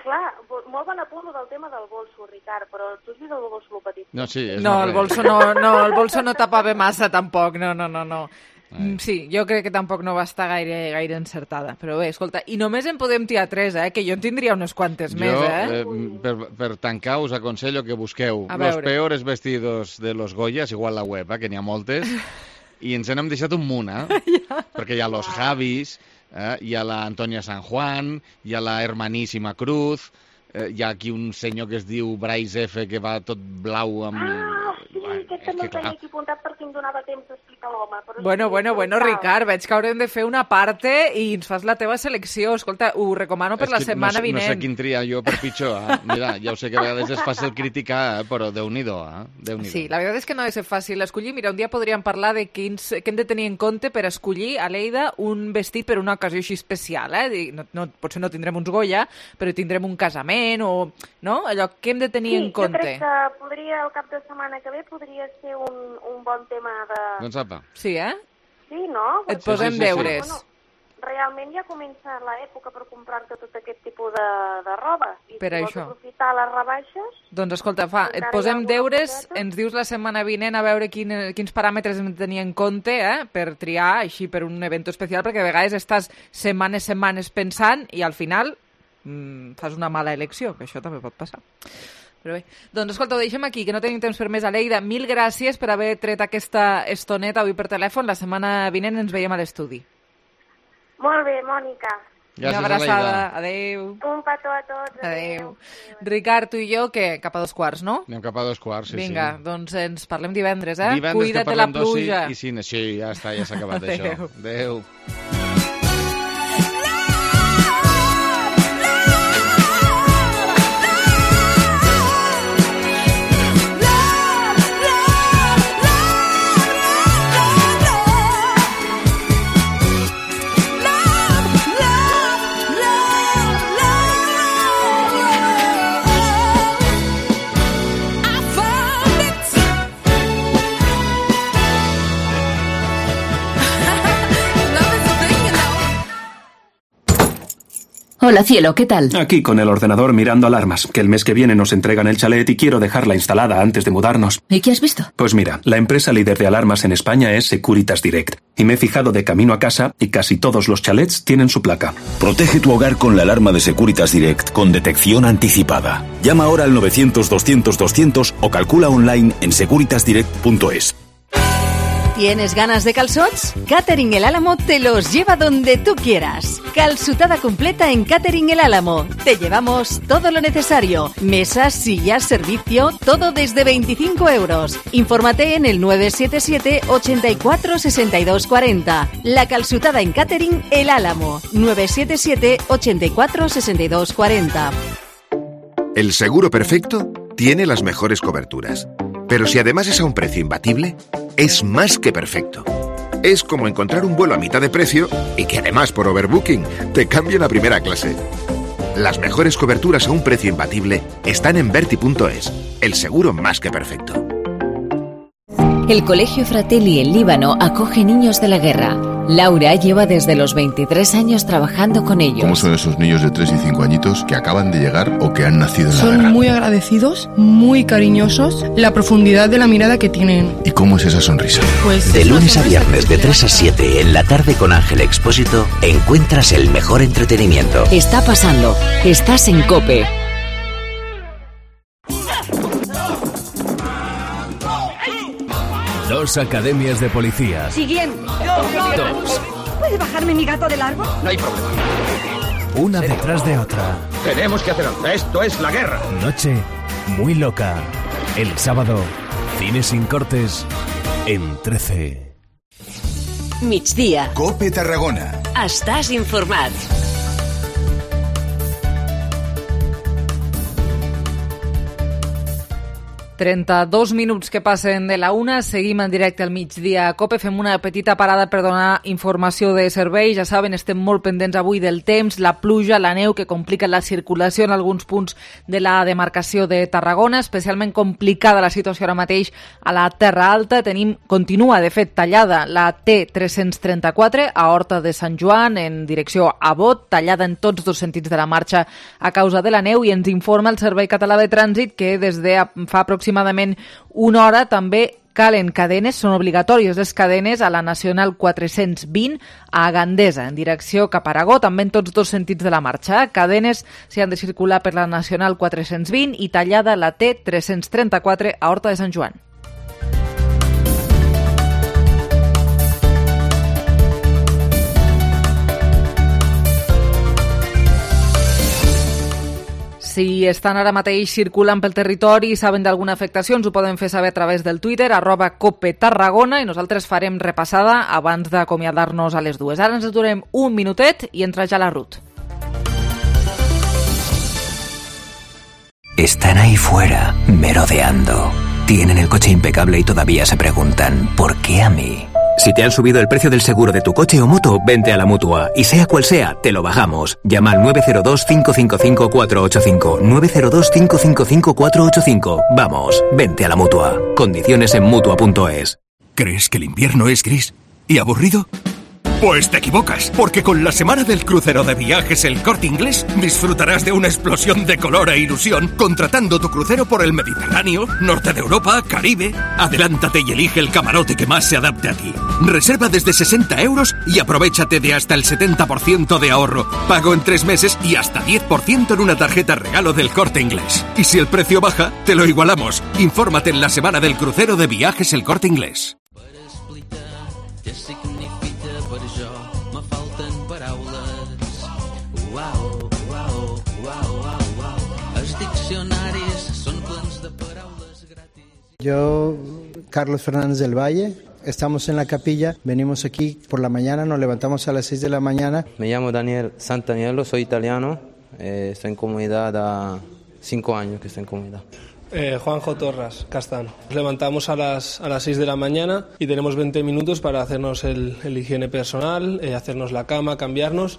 Clar, bo- molt bon apunt del tema del bolso, Ricard, però tu has vist el bolso lo petit? No, sí, és No, una el res. bolso no, no, el bolso no tapava massa, tampoc, no, no, no, no. Mm, Sí, jo crec que tampoc no va estar gaire, gaire encertada. Però bé, escolta, i només en podem tirar tres, eh? Que jo en tindria unes quantes més, Jo, eh? eh, per, per tancar, us aconsello que busqueu A los veure. peores vestidos de los Goyas, igual la web, eh, que n'hi ha moltes, i ens n'hem deixat un munt, eh? Perquè hi ha los Javis, eh? Hi ha la Antonia San Juan, hi ha la Hermaníssima Cruz, eh, hi ha aquí un senyor que es diu Bryce F, que va tot blau amb... Ah, sí, Bueno, aquest també el tenia aquí apuntat perquè em donava temps d'explicar l'home. Bueno, bueno, bueno, Ricard, veig que haurem de fer una parte i ens fas la teva selecció. Escolta, ho recomano per la setmana no, vinent. No sé quin triar jo per pitjor. Eh? Mira, ja ho sé que a vegades és fàcil criticar, eh? Però Déu-n'hi-do. Eh? Déu-n'hi-do. Sí, la veritat és que no ha de ser fàcil escollir. Mira, un dia podríem parlar de quins, què hem de tenir en compte per escollir a Lleida un vestit per una ocasió així especial. Eh? No, no, potser no tindrem uns Goya, però tindrem un casament o... No? Allò, què hem de tenir sí, en compte? Sí, jo crec que podria, el cap de setmana que ve, podria ser un, un bon tema de... Doncs apa. Sí, eh? Sí, no? Et posem sí, sí, deures. Sí. Bueno, realment ja comença l'època per comprar-te tot aquest tipus de, de roba. I per si això. vols aprofitar les rebaixes... Doncs escolta, fa, et posem deures, coseta. Ens dius la setmana vinent a veure quin, quins paràmetres hem de tenir en compte eh, per triar així per un event especial, perquè a vegades estàs setmanes, setmanes pensant i al final mmm, fas una mala elecció, que això també pot passar. Però bé, doncs escolta, ho deixem aquí, que no tenim temps per més. Aleida, mil gràcies per haver tret aquesta estoneta avui per telèfon. La setmana vinent ens veiem a l'estudi. Molt bé, Mònica. Gràcies, una abraçada. Aleida. Adéu. Un petó a tots. Adéu. Ricard, tu i jo, què? Cap a dos quarts, no? Anem cap a dos quarts, sí, Vinga, sí. doncs ens parlem divendres, eh? Divendres Cuida't que de la parlem pluja. d'oci i cine. Sí, ja està, ja s'ha acabat això. Adéu. Hola, cielo, ¿qué tal? Aquí con el ordenador mirando alarmas, que el mes que viene nos entregan el chalet y quiero dejarla instalada antes de mudarnos. ¿Y qué has visto? Pues mira, la empresa líder de alarmas en España es Securitas Direct. Y me he fijado de camino a casa y casi todos los chalets tienen su placa. Protege tu hogar con la alarma de Securitas Direct con detección anticipada. Llama ahora al novecientos doscientos doscientos o calcula online en securitas direct punto es. ¿Tienes ganas de calzots? Catering El Álamo te los lleva donde tú quieras. Calzutada completa en Catering El Álamo. Te llevamos todo lo necesario. Mesas, sillas, servicio, todo desde veinticinco euros. Infórmate en el nueve siete siete, ochenta y cuatro, sesenta y dos cuarenta. La calzutada en Catering El Álamo. nueve siete siete, ochenta y cuatro, sesenta y dos cuarenta. El seguro perfecto tiene las mejores coberturas. Pero si además es a un precio imbatible, es más que perfecto. Es como encontrar un vuelo a mitad de precio y que además por overbooking te cambien a primera clase. Las mejores coberturas a un precio imbatible están en Verti punto es, el seguro más que perfecto. El Colegio Fratelli en Líbano acoge niños de la guerra. Laura lleva desde los veintitrés años trabajando con ellos. ¿Cómo son esos niños de tres y cinco añitos que acaban de llegar o que han nacido en la Son guerra? muy agradecidos, muy cariñosos, la profundidad de la mirada que tienen. ¿Y cómo es esa sonrisa? Pues de lunes a viernes de tres a siete en la tarde con Ángel Expósito encuentras el mejor entretenimiento. Está pasando. Estás en COPE. Dos academias de policías. Siguiente. Dos. ¿Puede bajarme mi gato del árbol? No hay problema. Una detrás de otra. Tenemos que hacer algo. Esto es la guerra. Noche muy loca. El sábado, cine sin cortes en trece. Migdia. COPE Tarragona. Estàs informat. trenta-dos minuts que passen de la una, seguim en directe al migdia a COPE, fem una petita parada per donar informació de serveis. Ja saben, estem molt pendents avui del temps, la pluja, la neu que complica la circulació en alguns punts de la demarcació de Tarragona, especialment complicada la situació ara mateix a la Terra Alta. Tenim, continua de fet tallada la T tres cents trenta-quatre a Horta de Sant Joan en direcció a Bot, tallada en tots dos sentits de la marxa a causa de la neu, i ens informa el Servei Català de Trànsit que des de fa aproximadament aproximadament una hora també calen cadenes, són obligatòries les cadenes a la Nacional quatre-cents vint a Gandesa, en direcció cap a Aragó, també en tots dos sentits de la marxa. Cadenes s'hi han de circular per la Nacional quatre-cents vint i tallada la T tres cents trenta-quatre a Horta de Sant Joan. si estan ara mateix circulant pel territori i saben d'alguna afectació, ens ho poden fer saber a través del Twitter, arroba Cope Tarragona, i nosaltres farem repassada abans d'acomiadar-nos a les dues. Ara ens aturem un minutet i entra ja la Ruth. Están ahí fuera, merodeando. Tienen el coche impecable y todavía se preguntan, ¿por qué a mí? Si te han subido el precio del seguro de tu coche o moto, vente a la Mutua. Y sea cual sea, te lo bajamos. Llama al nueve cero dos, cinco cinco cinco, cuatro ocho cinco. nueve cero dos, cinco cinco cinco, cuatro ocho cinco. Vamos, vente a la Mutua. Condiciones en Mutua punto es. ¿Crees que el invierno es gris y aburrido? Pues te equivocas, porque con la semana del crucero de Viajes El Corte Inglés disfrutarás de una explosión de color e ilusión contratando tu crucero por el Mediterráneo, norte de Europa, Caribe. Adelántate y elige el camarote que más se adapte a ti. Reserva desde sesenta euros y aprovéchate de hasta el setenta por ciento de ahorro. Pago en tres meses y hasta diez por ciento en una tarjeta regalo del Corte Inglés. Y si el precio baja, te lo igualamos. Infórmate en la semana del crucero de Viajes El Corte Inglés. Yo, Carlos Fernández del Valle, estamos en la capilla, venimos aquí por la mañana, nos levantamos a las seis de la mañana. Me llamo Daniel Santaniello, soy italiano, eh, estoy en comunidad a cinco años que estoy en comunidad. Eh, Juanjo Torras, Castán. Nos levantamos a las, a las seis de la mañana y tenemos veinte minutos para hacernos el, el higiene personal, eh, hacernos la cama, cambiarnos.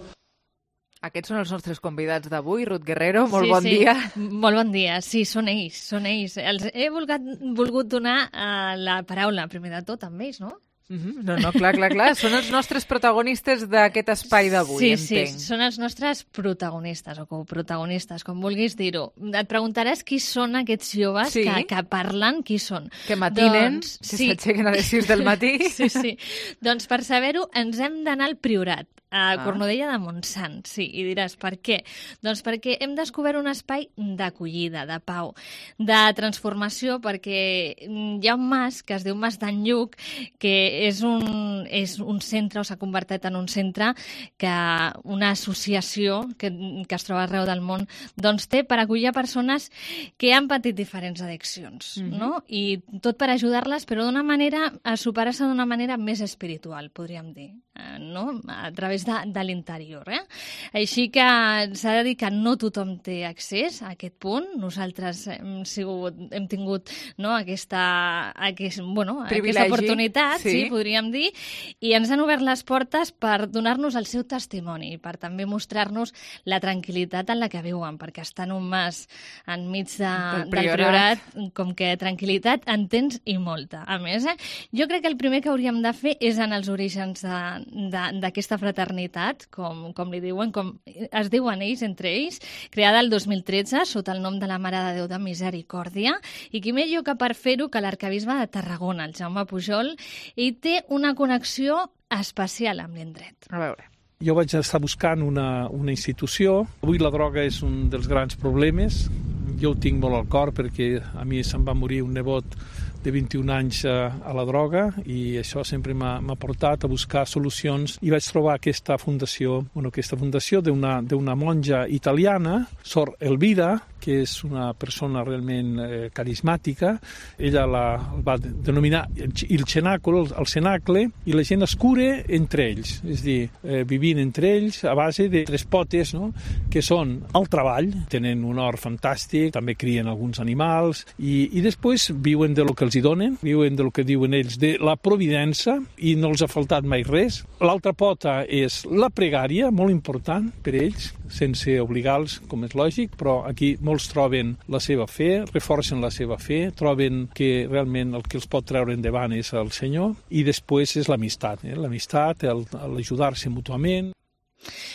Aquests són els nostres convidats d'avui. Ruth Guerrero, molt sí, bon sí. dia. Molt bon dia. Sí, són ells, són ells. Els he volgut, volgut donar uh, la paraula, primer de tot, amb ells, no? Mm-hmm. No, no, clar, clar, clar. Són els nostres protagonistes d'aquest espai d'avui, sí, entenc. Sí, són els nostres protagonistes o coprotagonistes, com vulguis dir-ho. Et preguntaràs qui són aquests joves sí? que, que parlen, qui són. Que matinen, doncs, que sí. s'aixequen a les sis del matí. Sí, sí. Doncs per saber-ho ens hem d'anar al Priorat, a ah. Cornudella de Montsant, sí, i diràs, per què? Doncs perquè hem descobert un espai d'acollida, de pau, de transformació, perquè hi ha un mas que es diu Mas d'en Lluc, que és un, és un centre, o s'ha convertit en un centre, que una associació que, que es troba arreu del món, doncs té per acollir persones que han patit diferents addiccions, mm-hmm. no? I tot per ajudar-les, però d'una manera, a superar-se d'una manera més espiritual, podríem dir, no? A través de, de l'interior. Eh? Així que s'ha de dir que no tothom té accés a aquest punt. Nosaltres hem, sigut, hem tingut no, aquesta, aquest, bueno, aquesta oportunitat, sí. sí, podríem dir, i ens han obert les portes per donar-nos el seu testimoni, per també mostrar-nos la tranquil·litat en la que viuen, perquè estar en un mas enmig de, del priorat, com que tranquil·litat en tens i molta. A més, eh, jo crec que el primer que hauríem de fer és en els orígens d'aquesta fraternitat, com, com li diuen, com es diuen ells, entre ells, creada el dos mil tretze sota el nom de la Mare de Déu de Misericòrdia, i qui millor que per fer-ho que l'arquebisbe de Tarragona, el Jaume Pujol, i té una connexió especial amb l'indret. A veure. Jo vaig estar buscant una, una institució. Avui la droga és un dels grans problemes. Jo ho tinc molt al cor perquè a mi se'm va morir un nebot de vint-i-un anys a, a la droga i això sempre m'ha portat a buscar solucions i vaig trobar aquesta fundació, bueno, aquesta fundació d'una d'una monja italiana, Sor Elvira, que és una persona realment eh, carismàtica. Ella la va denominar il cenacolo, el cenacle, i la gent es cura entre ells, és a dir, eh, vivint entre ells a base de tres potes, no?, que són el treball, tenen un hort fantàstic, també crien alguns animals, i, i després viuen de lo que els hi donen, viuen de lo que diuen ells, de la providència, i no els ha faltat mai res. L'altra pota és la pregària, molt important per ells, sense obligar-los, com és lògic, però aquí molts troben la seva fe, reforcen la seva fe, troben que realment el que els pot treure endavant és el Senyor, i després és l'amistat, eh? l'amistat, l'ajudar-se mútuament.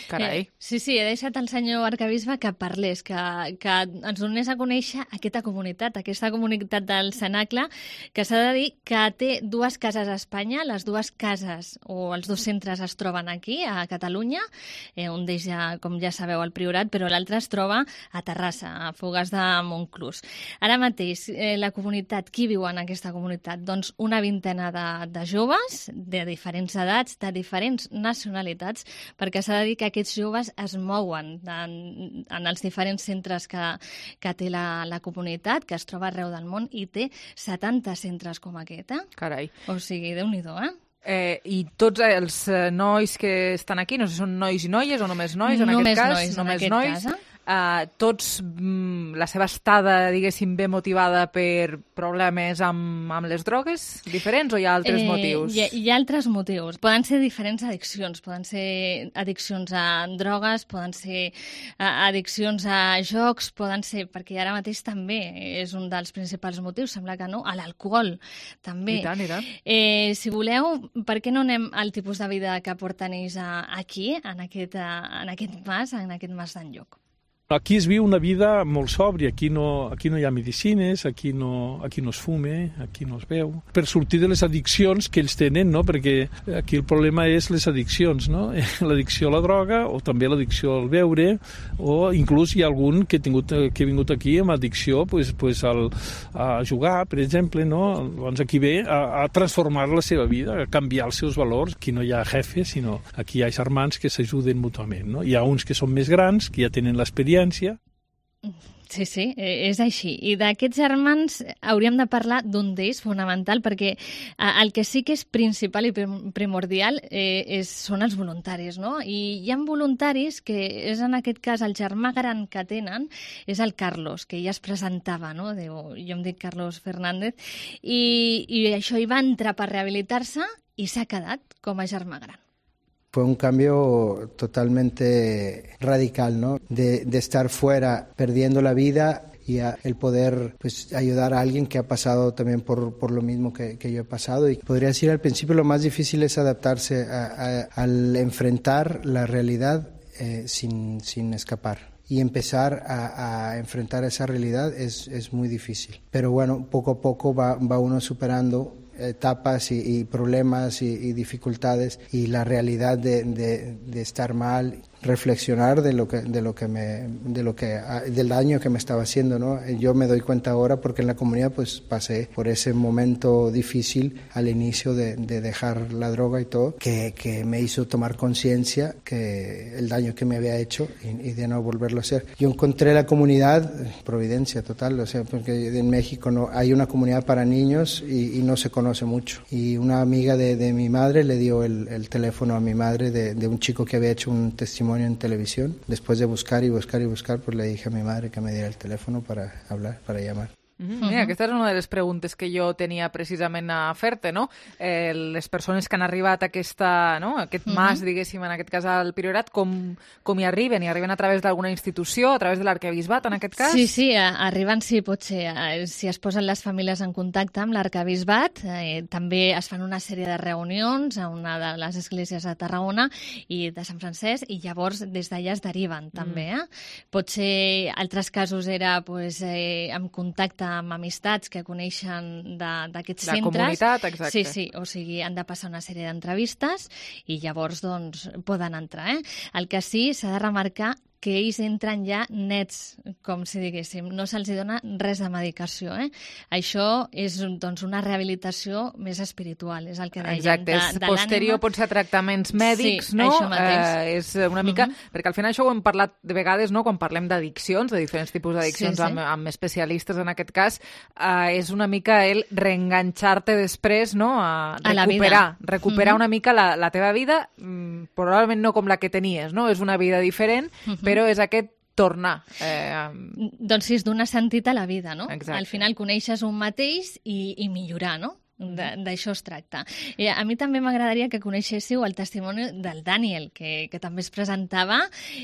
Carai. Eh, sí, sí, he deixat el senyor arquebisbe que parlés, que, que ens donés a conèixer aquesta comunitat, aquesta comunitat del Cenacle, que s'ha de dir que té dues cases a Espanya, les dues cases o els dos centres es troben aquí, a Catalunya, eh, un d'ells, ja, com ja sabeu, al Priorat, però l'altre es troba a Terrassa, a Fogars de Montclús. Ara mateix, eh, la comunitat, qui viu en aquesta comunitat? Doncs una vintena de, de joves, de diferents edats, de diferents nacionalitats, perquè s'ha s'ha de dir que aquests joves es mouen en, en els diferents centres que, que té la, la comunitat, que es troba arreu del món, i té setanta centres com aquest, eh? Carai. O sigui, Déu-n'hi-do, eh? Eh, I tots els nois que estan aquí, no sé si són nois i noies o només nois, en només aquest cas, nois, només en aquest nois, cas, eh? Uh, tots, mm, la seva estada, diguéssim, ve motivada per problemes amb, amb les drogues diferents o hi ha altres eh, motius? Hi ha, hi ha altres motius. Poden ser diferents addiccions. Poden ser addiccions a drogues, poden ser uh, addiccions a jocs, poden ser, perquè ara mateix també és un dels principals motius, sembla que no, a l'alcohol, també. I tant, i tant. Eh, si voleu, per què no anem al tipus de vida que porten ells aquí, en aquest, en aquest mas, en aquest mas d'enlloc? Aquí es viu una vida molt sòbria, aquí no, aquí no hi ha medicines, aquí no, aquí no es fume, aquí no es beu. Per sortir de les addiccions que ells tenen, no? Perquè aquí el problema és les addiccions, no? L'addicció a la droga o també l'addicció al beure, o inclús hi ha algun que, he tingut, que ha vingut aquí amb addicció pues, pues al, a jugar, per exemple, no? Doncs aquí ve a, a transformar la seva vida, a canviar els seus valors. Aquí no hi ha jefes, sinó aquí hi ha germans que s'ajuden mútuament, no? Hi ha uns que són més grans, que ja tenen l'experiència. Sí, sí, és així. I d'aquests germans hauríem de parlar d'un d'ells fonamental, perquè el que sí que és principal i primordial eh, és, són els voluntaris, no? I hi ha voluntaris que és en aquest cas el germà gran que tenen, és el Carlos, que ja es presentava, no? Diu, jo em dic Carlos Fernández, i, i això hi va entrar per rehabilitar-se i s'ha quedat com a germà gran. Fue un cambio totalmente radical, ¿no? De, de estar fuera, perdiendo la vida y a, el poder pues, ayudar a alguien que ha pasado también por, por lo mismo que, que yo he pasado. Y podría decir al principio lo más difícil es adaptarse a, a, al enfrentar la realidad eh, sin, sin escapar. Y empezar a, a enfrentar esa realidad es, es muy difícil. Pero bueno, poco a poco va, va uno superando etapas y, y problemas y, y dificultades y la realidad de, de, de estar mal, reflexionar de lo que de lo que me de lo que del daño que me estaba haciendo, ¿no? Yo me doy cuenta ahora porque en la comunidad pues pasé por ese momento difícil al inicio de, de dejar la droga y todo, que, que me hizo tomar conciencia que el daño que me había hecho y, y de no volverlo a hacer. Yo encontré la comunidad, providencia total, o sea, porque en México no hay una comunidad para niños y, y no se conoce mucho. Y una amiga de, de mi madre le dio el, el teléfono a mi madre de, de un chico que había hecho un testimonio en televisión. Después de buscar y buscar y buscar, pues le dije a mi madre que me diera el teléfono para hablar, para llamar. Mm-hmm. Mira, aquesta és una de les preguntes que jo tenia precisament a fer-te, no? Eh, les persones que han arribat a aquesta, no? aquest mm-hmm. mas, diguéssim, en aquest cas al Priorat, com, com hi arriben? Hi arriben a través d'alguna institució, a través de l'arquebisbat, en aquest cas? Sí, sí, arriben, sí, pot ser. Si es posen les famílies en contacte amb l'arquebisbat, eh, també es fan una sèrie de reunions a una de les esglésies de Tarragona i de Sant Francesc, i llavors des d'allà es deriven, també. Eh? Pot ser, altres casos era pues, eh, amb contacte amb amistats que coneixen d'aquests centres. La comunitat, exacte. Sí, sí, o sigui, han de passar una sèrie d'entrevistes i llavors doncs poden entrar. Eh? El que sí s'ha de remarcar que ells entren ja nets, com si diguéssim. No se'ls dona res de medicació. Eh? Això és doncs, una rehabilitació més espiritual, és el que dèiem. Exacte, de, és de posterior, pot ser a tractaments mèdics, sí, no? Això mateix. Eh, és una mica... Uh-huh. Perquè al final això ho hem parlat de vegades, no? Quan parlem d'addiccions, de diferents tipus d'addiccions sí, sí. Amb, amb especialistes en aquest cas, eh, és una mica el reenganxar-te després, no? A recuperar, a recuperar uh-huh. una mica la, la teva vida, mm, probablement no com la que tenies, no? És una vida diferent, uh-huh. però és aquest tornar. Eh... Doncs sí, és donar sentit a la vida, no? Exacte. Al final coneixes un mateix i, i millorar, no? D'això es tracta. I a mi també m'agradaria que coneixéssiu el testimoni del Daniel, que, que també es presentava,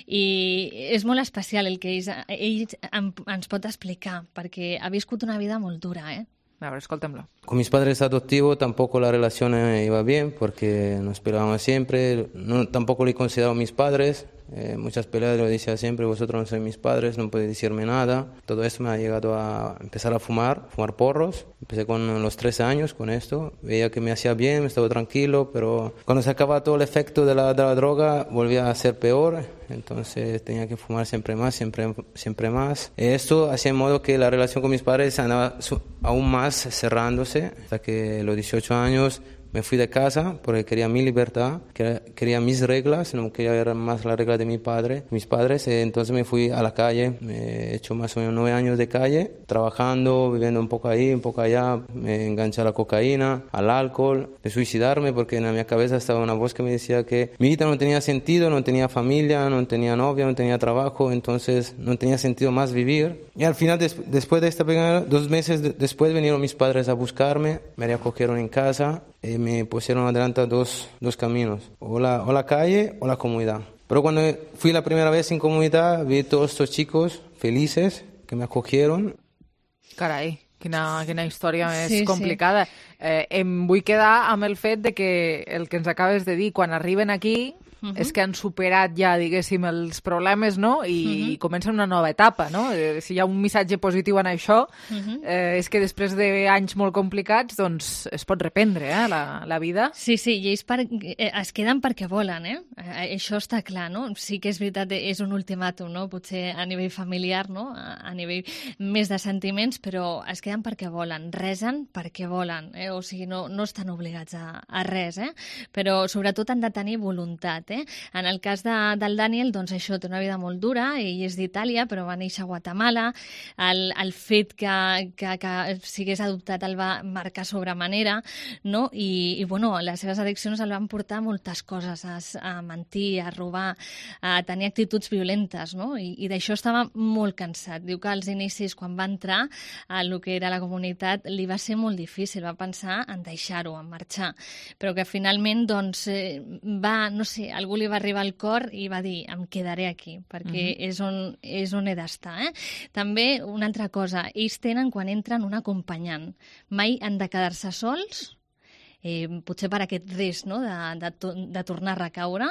i és molt especial el que ell, ell ens pot explicar, perquè ha viscut una vida molt dura, eh? A ver, escúltemelo. Con mis padres adoptivos tampoco la relación iba bien porque nos peleábamos siempre. No, tampoco le consideraba mis padres. Eh, muchas peleas lo decía siempre, vosotros no sois mis padres, no podéis decirme nada. Todo esto me ha llegado a empezar a fumar, fumar porros. Empecé con los trece años con esto. Veía que me hacía bien, me estaba tranquilo, pero cuando se acababa todo el efecto de la, de la droga volvía a ser peor. Entonces tenía que fumar siempre más, siempre, siempre más. Esto hacía en modo que la relación con mis padres andaba aún más cerrándose, hasta que a los dieciocho años me fui de casa porque quería mi libertad, quería mis reglas, no quería ver más las reglas de mi padre, mis padres. Entonces me fui a la calle, me he hecho más o menos nueve años de calle, trabajando, viviendo un poco ahí, un poco allá. Me enganché a la cocaína, al alcohol, de suicidarme porque en mi cabeza estaba una voz que me decía que mi vida no tenía sentido, no tenía familia, no tenía novia, no tenía trabajo, entonces no tenía sentido más vivir. Y al final, des- después de esta primera, dos meses de- después vinieron mis padres a buscarme, me recogieron en casa y me pusieron adelante dos, dos caminos, o la, o la calle o la comunidad. Pero cuando fui la primera vez en comunidad, vi todos estos chicos felices que me acogieron. Carai, quina, quina història més Sí, sí. complicada. Eh, em vull quedar amb el fet de que el que ens acabes de dir, quan arriben aquí, Mhm. és que han superat ja, diguéssim, els problemes, no? I Mhm. comencen una nova etapa, no? Eh, si hi ha un missatge positiu en això, Mhm. eh, és que després d'anys molt complicats, doncs es pot reprendre, eh, la, la vida. Sí, sí, i ells per, eh, es queden perquè volen, eh? eh? Això està clar, no? Sí que és veritat, és un ultimàtum, no? Potser a nivell familiar, no? A, a nivell més de sentiments, però es queden perquè volen, resen perquè volen, eh? O sigui, no, no estan obligats a, a res, eh? Però sobretot han de tenir voluntat, eh? En el cas de, del Daniel, doncs això, té una vida molt dura, ell és d'Itàlia, però va néixer a Guatemala, el, el fet que, que, que sigués adoptat el va marcar sobremanera, no? I, i bueno, les seves addiccions el van portar a moltes coses, a, a mentir, a robar, a tenir actituds violentes, no? I, i d'això estava molt cansat. Diu que als inicis, quan va entrar a el que era la comunitat, li va ser molt difícil, va pensar en deixar-ho, en marxar, però que finalment, doncs, eh, va, no sé, algú li va arribar al cor i va dir, em quedaré aquí, perquè Mhm. és, on, és on he d'estar, eh? També, una altra cosa, ells tenen, quan entren, un acompanyant. Mai han de quedar-se sols, eh, potser per aquest risc, no?, de, de, to- de tornar a recaure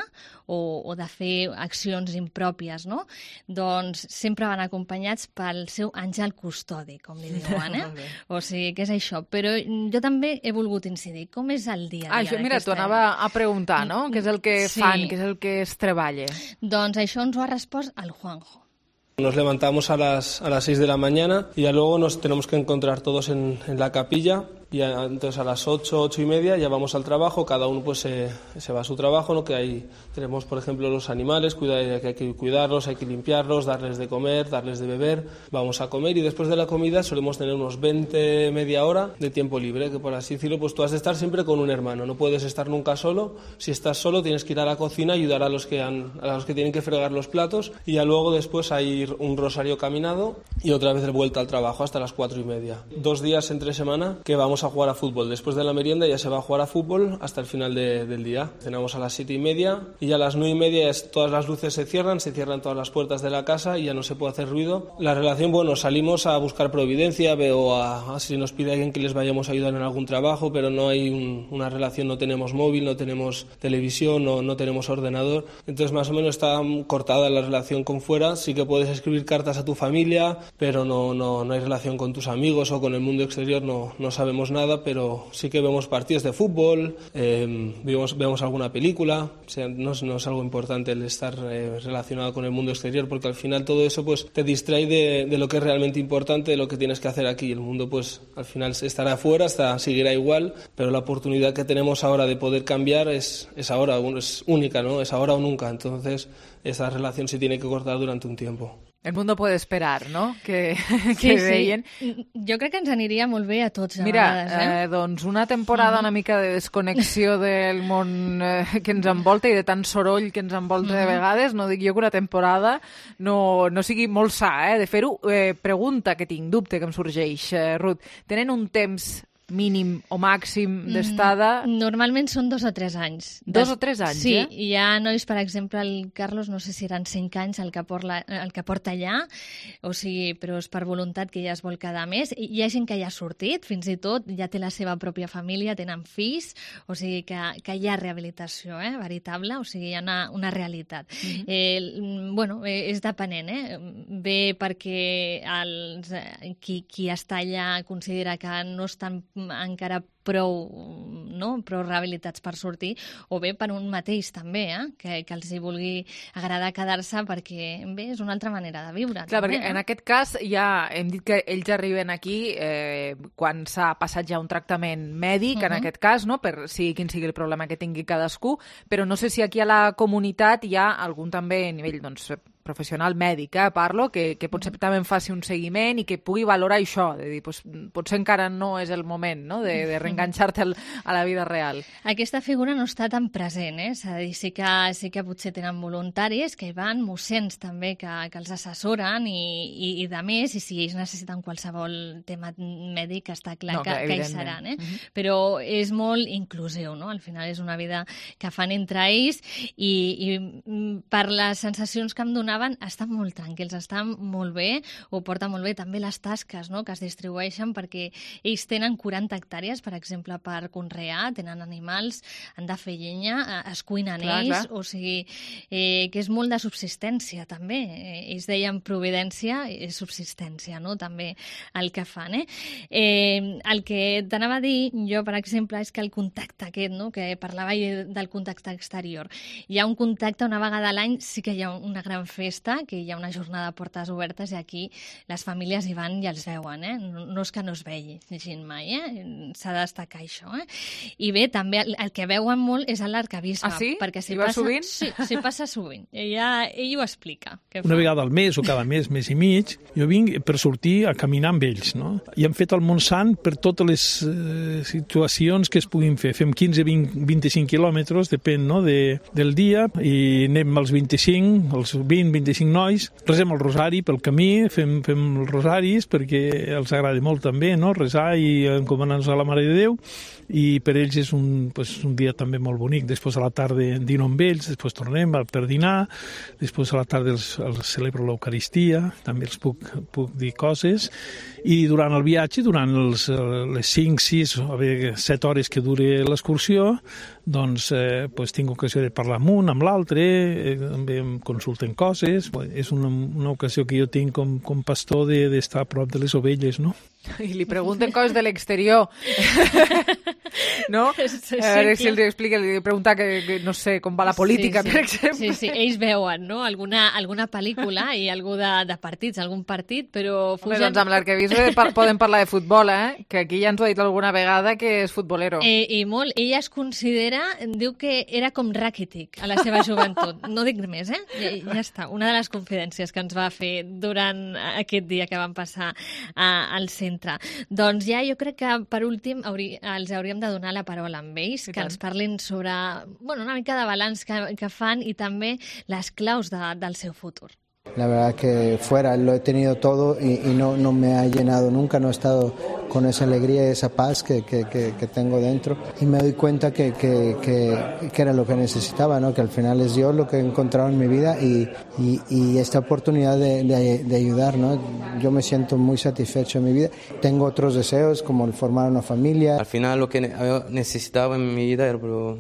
o, o de fer accions impròpies, no? Doncs sempre van acompanyats pel seu àngel custodi, com li diuen, eh? Molt bé. O sigui, que és això. Però jo també he volgut incidir. Com és el dia a Ah, dia això, mira, t'ho d'aquesta- anava a preguntar, no? Què és el que Sí. fan, què és el que es treballa? Doncs això ens ho ha respost el Juanjo. Nos levantamos a las, a las seis de la mañana y ya luego nos tenemos que encontrar todos en, en la capilla. Y a- entonces a las ocho, ocho y media ya vamos al trabajo, cada uno pues se, se va a su trabajo, ¿no? Que ahí tenemos, por ejemplo, los animales, cuida, que hay que cuidarlos, hay que limpiarlos, darles de comer, darles de beber. Vamos a comer y después de la comida solemos tener unos veinte, media hora de tiempo libre, que por así decirlo, pues tú has de estar siempre con un hermano, no puedes estar nunca solo. Si estás solo tienes que ir a la cocina, ayudar a los que, han, a los que tienen que fregar los platos y ya luego después hay un rosario caminado y otra vez de vuelta al trabajo hasta las cuatro y media. Dos días entre semana que vamos a jugar a fútbol. Después de la merienda ya se va a jugar a fútbol hasta el final de- del día. Cenamos a las siete y media y ya a las nueve y media es, todas las luces se cierran, se cierran todas las puertas de la casa y ya no se puede hacer ruido. La relación, bueno, salimos a buscar providencia, veo a, a si nos pide alguien que les vayamos a ayudar en algún trabajo, pero no hay un- una relación, no tenemos móvil, no tenemos televisión, no, no tenemos ordenador. Entonces más o menos está mm, cortada la relación con fuera. Sí que puedes escribir cartas a tu familia, pero no, no, no hay relación con tus amigos o con el mundo exterior, no, no sabemos nada, pero sí que vemos partidos de fútbol, eh, vemos, vemos alguna película. O sea, no, es- no es algo importante el estar eh, relacionado con el mundo exterior, porque al final todo eso pues te distrae de, de lo que es realmente importante, de lo que tienes que hacer aquí. El mundo pues al final estará afuera, está, seguirá igual, pero la oportunidad que tenemos ahora de poder cambiar es, es ahora, es única, ¿no? Es ahora o nunca. Entonces esa relación se tiene que cortar durante un tiempo. El mundo puede esperar, no? Que, Sí, que sí. deien. Jo crec que ens aniria molt bé a tots a Mira, vegades, eh? eh, doncs una temporada una mica de desconnexió del món eh, que ens envolta i de tant soroll que ens envolta de Mhm. vegades, no dic jo que una temporada no, no sigui molt sa, eh, de fer-ho. Eh, pregunta que tinc, dubte que em sorgeix, eh, Ruth. Tenen un temps mínim o màxim d'estada? Mm, Normalment són dos o tres anys. Dos o tres anys, sí, eh? Sí, hi ha nois, per exemple, el Carlos, no sé si eren cinc anys el que, porta, el que porta allà, o sigui, però és per voluntat que ja es vol quedar més. I hi ha gent que ja ha sortit, fins i tot, ja té la seva pròpia família, tenen fills, o sigui que, que hi ha rehabilitació, eh, veritable, o sigui, hi ha una, una realitat. Mhm. eh, bueno, eh, és depenent, eh? Bé perquè els, eh, qui, qui està allà considera que no estan encara prou no? Prou rehabilitats per sortir, o bé per un mateix també, eh? que, que els hi vulgui agradar quedar-se perquè bé, és una altra manera de viure. Clar, també, perquè eh? en aquest cas ja hem dit que ells arriben aquí eh, quan s'ha passat ja un tractament mèdic, uh -huh. en aquest cas, no? Per sigui quin sigui el problema que tingui cadascú, però no sé si aquí a la comunitat hi ha algun també a nivell doncs, professional mèdic, eh, parlo, que, que potser també en faci un seguiment i que pugui valorar això, de dir, pues, potser encara no és el moment, no?, de, de reenganxar-te a la vida real. Aquesta figura no està tan present, eh? És a dir, sí que, sí que potser tenen voluntaris que hi van, mossens també que, que els assessoren i, i, i de més, i si ells necessiten qualsevol tema mèdic està clar no, que, que hi seran, eh? Uh-huh. Però és molt inclusiu, no? Al final és una vida que fan entre ells i, i per les sensacions que em donaven estan molt tranquils, estan molt bé, ho porten molt bé, també les tasques, no?, que es distribueixen perquè ells tenen quaranta hectàrees, per exemple, per conrear, tenen animals, han de fer llenya, es cuinen clar, ells, clar. O sigui, eh, que és molt de subsistència també, eh, ells deien providència i subsistència, no?, també el que fan, eh? eh el que t'anava a dir jo, per exemple, és que el contacte aquest, no?, que parlava del contacte exterior, hi ha un contacte una vegada a l'any, sí que hi ha una gran festa, que hi ha una jornada de portes obertes i aquí les famílies hi van i els veuen, eh? No, no és que no es vegin mai, eh? S'ha de destacar això, eh? I bé, també el, el que veuen molt és l'arcabisbe. Ah, sí? Perquè si hi va passa, sovint? Sí, si passa sovint. Ella, ell ho explica. Una vegada al mes o cada mes, mes i mig, jo vinc per sortir a caminar amb ells, no? I hem fet el Montsant per totes les eh, situacions que es puguin fer. Fem quinze, vint, vint-i-cinc quilòmetres, depèn, no?, de, del dia, i anem als vint-i-cinc, els vint, vint-i-cinc nois, resem el rosari pel camí, fem, fem els rosaris perquè els agrada molt també, no?, resar i encomanar-nos a la Mare de Déu, i per ells és un, pues, un dia també molt bonic. Després a la tarda dino amb ells, després tornem per dinar, després a la tarda els, els celebro l'Eucaristia, també els puc, puc dir coses, i durant el viatge, durant els, les cinc, sis, a veure, set hores que dure l'excursió, doncs eh, pues, tinc ocasió de parlar amb un, amb l'altre, eh, també em consulten coses. És una, una ocasió que jo tinc com, com pastor d'estar de, a prop de les ovelles, no? I li pregunten coses de l'exterior. No? Sí, a veure si els explica, li pregunta que, que no sé, com va la política, sí, sí. per exemple. Sí, sí, ells veuen, no?, alguna, alguna pel·lícula i algú de, de partits, algun partit, però fugen... Home, doncs amb l'arquebisbe par podem parlar de futbol, eh? Que aquí ja ens ho ha dit alguna vegada que és futbolero. Eh, I molt. Ella es considera, diu que era com Rakitic a la seva joventut. No dic més, eh? Ja, ja està. Una de les confidències que ens va fer durant aquest dia que vam passar a, al centre. Doncs ja jo crec que, per últim, haurí, els hauríem de donar la paraula amb ells, que ens parlin sobre, bueno, una mica de balanç que, que fan i també les claus de, del seu futur. La verdad que fuera lo he tenido todo y, y no, no me ha llenado nunca, no he estado con esa alegría y esa paz que, que, que, que tengo dentro, y me doy cuenta que, que, que, que era lo que necesitaba, ¿no? Que al final es Dios lo que he encontrado en mi vida y, y, y esta oportunidad de, de, de ayudar, ¿no? Yo me siento muy satisfecho en mi vida. Tengo otros deseos como el formar una familia. Al final lo que necesitaba en mi vida era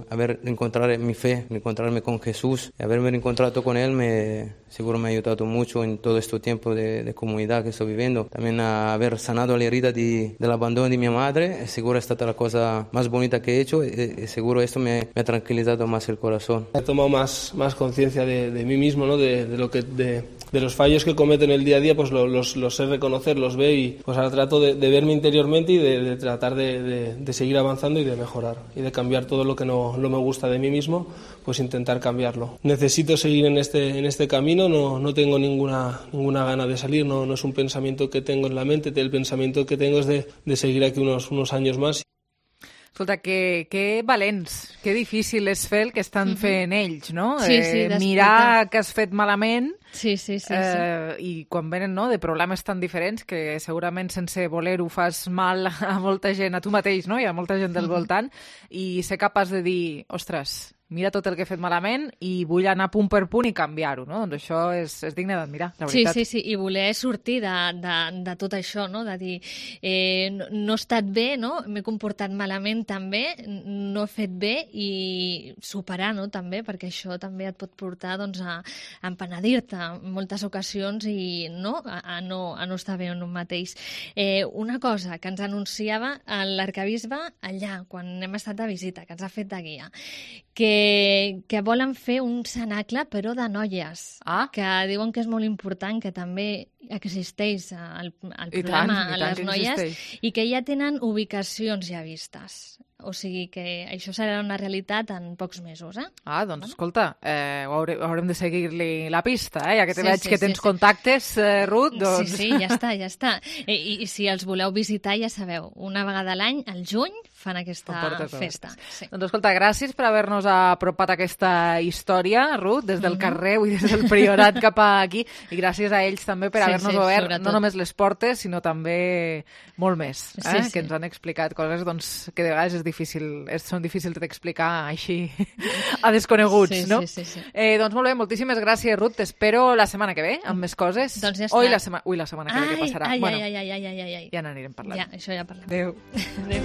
haber encontrado mi fe, encontrarme con Jesús, haberme encontrado con Él me seguro me ha ayudado mucho en todo este tiempo de, de comunidad que estoy viviendo. También a haber sanado la herida de, del abandono de mi madre, seguro esta es la cosa más bonita que he hecho, y seguro esto me, me ha tranquilizado más el corazón. He tomado más, más conciencia de, de mí mismo, ¿no? de, de, lo que, de, de los fallos que cometo en el día a día, pues los, los, los sé reconocer, los veo y pues ahora trato de, de verme interiormente y de, de tratar de, de, de seguir avanzando y de mejorar y de cambiar todo lo que no, no me gusta de mí mismo, pues intentar cambiarlo. Necesito seguir en este, en este camino, no, no tengo ninguna, ninguna gana de salir, no, no es un pensamiento que tengo en la mente, el pensamiento que tengo es de, de seguir aquí unos, unos años más. Escolta, que, que valents, que difícil és fer el que estan fent ells, no? Sí, sí, eh, mirar que has fet malament sí, sí, sí, eh, sí. i quan venen no, de problemes tan diferents que segurament sense voler-ho fas mal a molta gent, a tu mateix, no? I a molta gent del voltant, i ser capaç de dir, ostres, mira tot el que he fet malament i vull anar punt per punt i canviar-ho, no? Doncs això és, és digne d'admirar, la veritat. Sí, sí, sí, i voler sortir de, de, de tot això, no? De dir, eh, no, no he estat bé, no? M'he comportat malament també, no he fet bé i superar, no? També, perquè això també et pot portar doncs, a, a empenedir-te en moltes ocasions i no, a, a, no, a no estar bé en un mateix. Eh, una cosa que ens anunciava l'arcabisbe allà, quan hem estat de visita, que ens ha fet de guia, que, que volen fer un cenacle, però de noies, ah. que diuen que és molt important, que també existeix el, el I programa tant, i a tant les que noies existeix. i que ja tenen ubicacions ja vistes. O sigui que això serà una realitat en pocs mesos, eh? Ah, doncs, escolta, eh, haurem, haurem de seguir-li la pista, eh? Ja que te Sí, veig sí, que sí, tens sí. contactes, eh, Ruth, doncs... Sí, sí, ja està, ja està. I, i, I si els voleu visitar, ja sabeu, una vegada a l'any, al juny, fan aquesta festa. Sí. Doncs escolta, gràcies per haver-nos apropat aquesta història, Ruth, des del Mhm. carrer i des del Priorat cap aquí, i gràcies a ells també per Sí, haver-nos sí, obert sobretot. no només les portes, sinó també molt més, eh? Sí, sí. Que ens han explicat coses doncs, que de vegades és difícil, és, són difícils d'explicar així a desconeguts, Sí, no? sí, sí, sí. Eh, doncs molt bé, moltíssimes gràcies, Ruth. T'espero la setmana que ve amb més coses. Doncs ja està. Oi, la, sema... Ui, la setmana que ve, què passarà? Ai, bueno, ai, ai, ai, ai, ai, ai. ja n'anirem parlant. Ja, això ja parlem. Adéu. Adéu.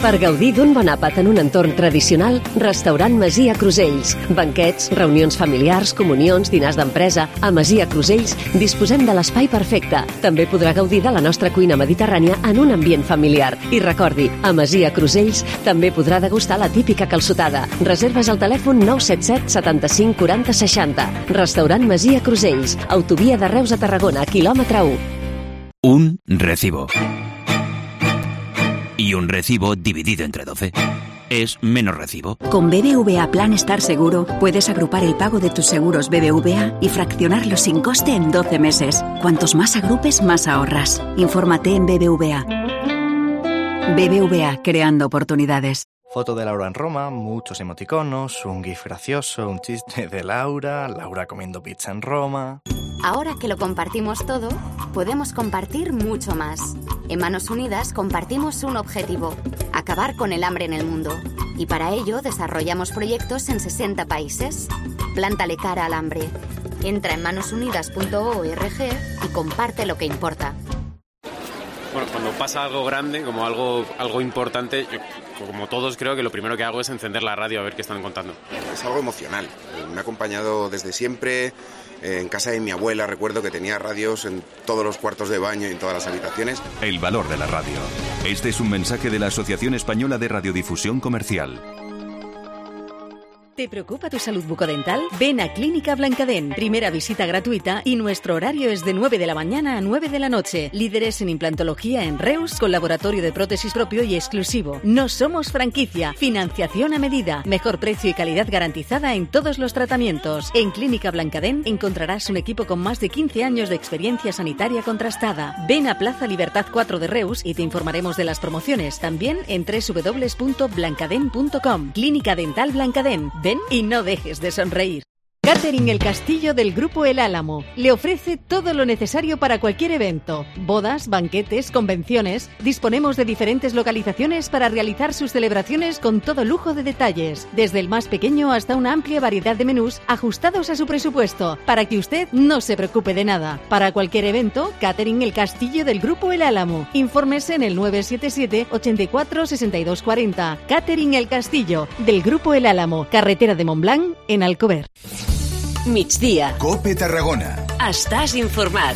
Per gaudir d'un bon àpat en un entorn tradicional, Restaurant Masia Crusells. Banquets, reunions familiars, comunions, dinars d'empresa... A Masia Crusells disposem de l'espai perfecte. També podrà gaudir de la nostra cuina mediterrània en un ambient familiar. I recordi, a Masia Crusells també podrà degustar la típica calçotada. Reserves al telèfon nou set set setanta-cinc quaranta seixanta. Restaurant Masia Crusells. Autovia de Reus a Tarragona, quilòmetre u. Un recibo. Y un recibo dividido entre doce es menos recibo. Con B B V A Plan Estar Seguro puedes agrupar el pago de tus seguros B B V A y fraccionarlo sin coste en doce meses. Cuantos más agrupes, más ahorras. Infórmate en B B V A. B B V A, creando oportunidades. Foto de Laura en Roma, muchos emoticonos, un gif gracioso, un chiste de Laura, Laura comiendo pizza en Roma... Ahora que lo compartimos todo, podemos compartir mucho más. En Manos Unidas compartimos un objetivo: acabar con el hambre en el mundo. Y para ello desarrollamos proyectos en sesenta países. Plántale cara al hambre. Entra en manos unidas punto org y comparte lo que importa. Bueno, cuando pasa algo grande, como algo, algo importante, yo, como todos, creo que lo primero que hago es encender la radio a ver qué están contando. Es algo emocional. Me ha acompañado desde siempre. En casa de mi abuela recuerdo que tenía radios en todos los cuartos de baño y en todas las habitaciones. El valor de la radio. Este es un mensaje de la Asociación Española de Radiodifusión Comercial. ¿Te preocupa tu salud bucodental? Ven a Clínica Blancadent. Primera visita gratuita y nuestro horario es de nueve de la mañana a nueve de la noche. Líderes en implantología en Reus, con laboratorio de prótesis propio y exclusivo. No somos franquicia. Financiación a medida. Mejor precio y calidad garantizada en todos los tratamientos. En Clínica Blancadent encontrarás un equipo con más de quince años de experiencia sanitaria contrastada. Ven a Plaza Libertad cuatro de Reus y te informaremos de las promociones. También en doble u doble u doble u punto blancadent punto com. Clínica Dental Blancadent. Ven y no dejes de sonreír. Catering El Castillo del Grupo El Álamo le ofrece todo lo necesario para cualquier evento. Bodas, banquetes, convenciones. Disponemos de diferentes localizaciones para realizar sus celebraciones con todo lujo de detalles. Desde el más pequeño hasta una amplia variedad de menús ajustados a su presupuesto, para que usted no se preocupe de nada. Para cualquier evento, Catering El Castillo del Grupo El Álamo. Infórmese en el nueve siete siete, ochenta y cuatro, sesenta y dos cuarenta. Catering El Castillo del Grupo El Álamo. Carretera de Montblanc, en Alcover. Migdia. Cope Tarragona. Estàs informat.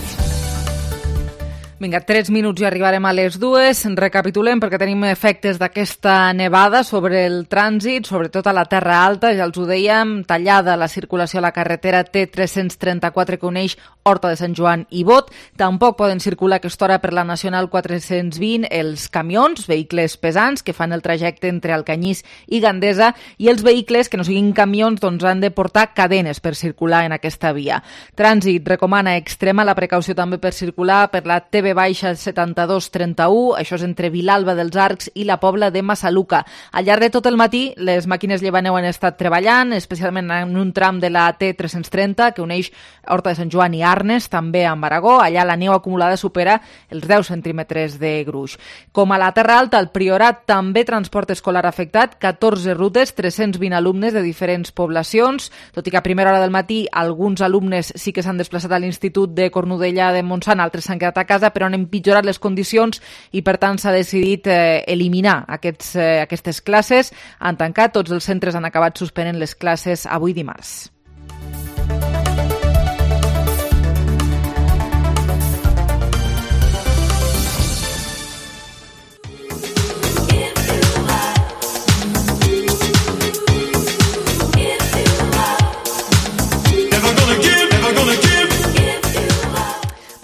Vinga, tres minuts i arribarem a les dues. Recapitulem perquè tenim efectes d'aquesta nevada sobre el trànsit, sobretot a la Terra Alta. Ja els ho dèiem, tallada la circulació a la carretera T tres-cents trenta-quatre que uneix Horta de Sant Joan i Bot. Tampoc poden circular a aquesta hora per la Nacional quatre-cents vint els camions, vehicles pesants que fan el trajecte entre Alcanyís i Gandesa, i els vehicles que no siguin camions doncs han de portar cadenes per circular en aquesta via. Trànsit recomana extrema la precaució també per circular per la T V baixa setanta-dos trenta-u, això és entre Vilalba dels Arcs i la Pobla de Massaluca. Al llarg de tot el matí, les màquines llevaneu han estat treballant, especialment en un tram de la T tres-cents trenta, que uneix Horta de Sant Joan i Arc, Arnes, també amb Aragó. Allà la neu acumulada supera els deu centímetres de gruix. Com a la Terra Alta, el Priorat també transport escolar afectat, catorze rutes, tres-cents vint alumnes de diferents poblacions, tot i que a primera hora del matí alguns alumnes sí que s'han desplaçat a l'Institut de Cornudella de Montsant, altres s'han quedat a casa, però han empitjorat les condicions i per tant s'ha decidit eh, eliminar aquests, eh, aquestes classes. Han tancat, tots els centres han acabat suspenent les classes avui dimarts.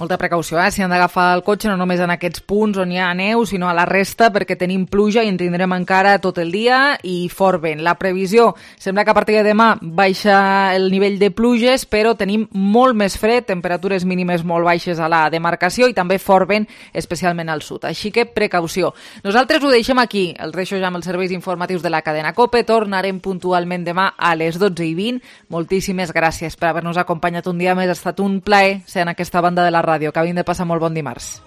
Molta precaució, eh? Si han d'agafar el cotxe no només en aquests punts on hi ha neu, sinó a la resta, perquè tenim pluja i en tindrem encara tot el dia i fort vent. La previsió sembla que a partir de demà baixa el nivell de pluges, però tenim molt més fred, temperatures mínimes molt baixes a la demarcació i també fort vent, especialment al sud. Així que precaució. Nosaltres ho deixem aquí. Els deixo ja amb els serveis informatius de la cadena COPE. Tornarem puntualment demà a les dotze i vint. Moltíssimes gràcies per haver-nos acompanyat un dia més. Ha estat un plaer ser en aquesta banda de la ràdio. Que hagin de passar molt bon dimarts.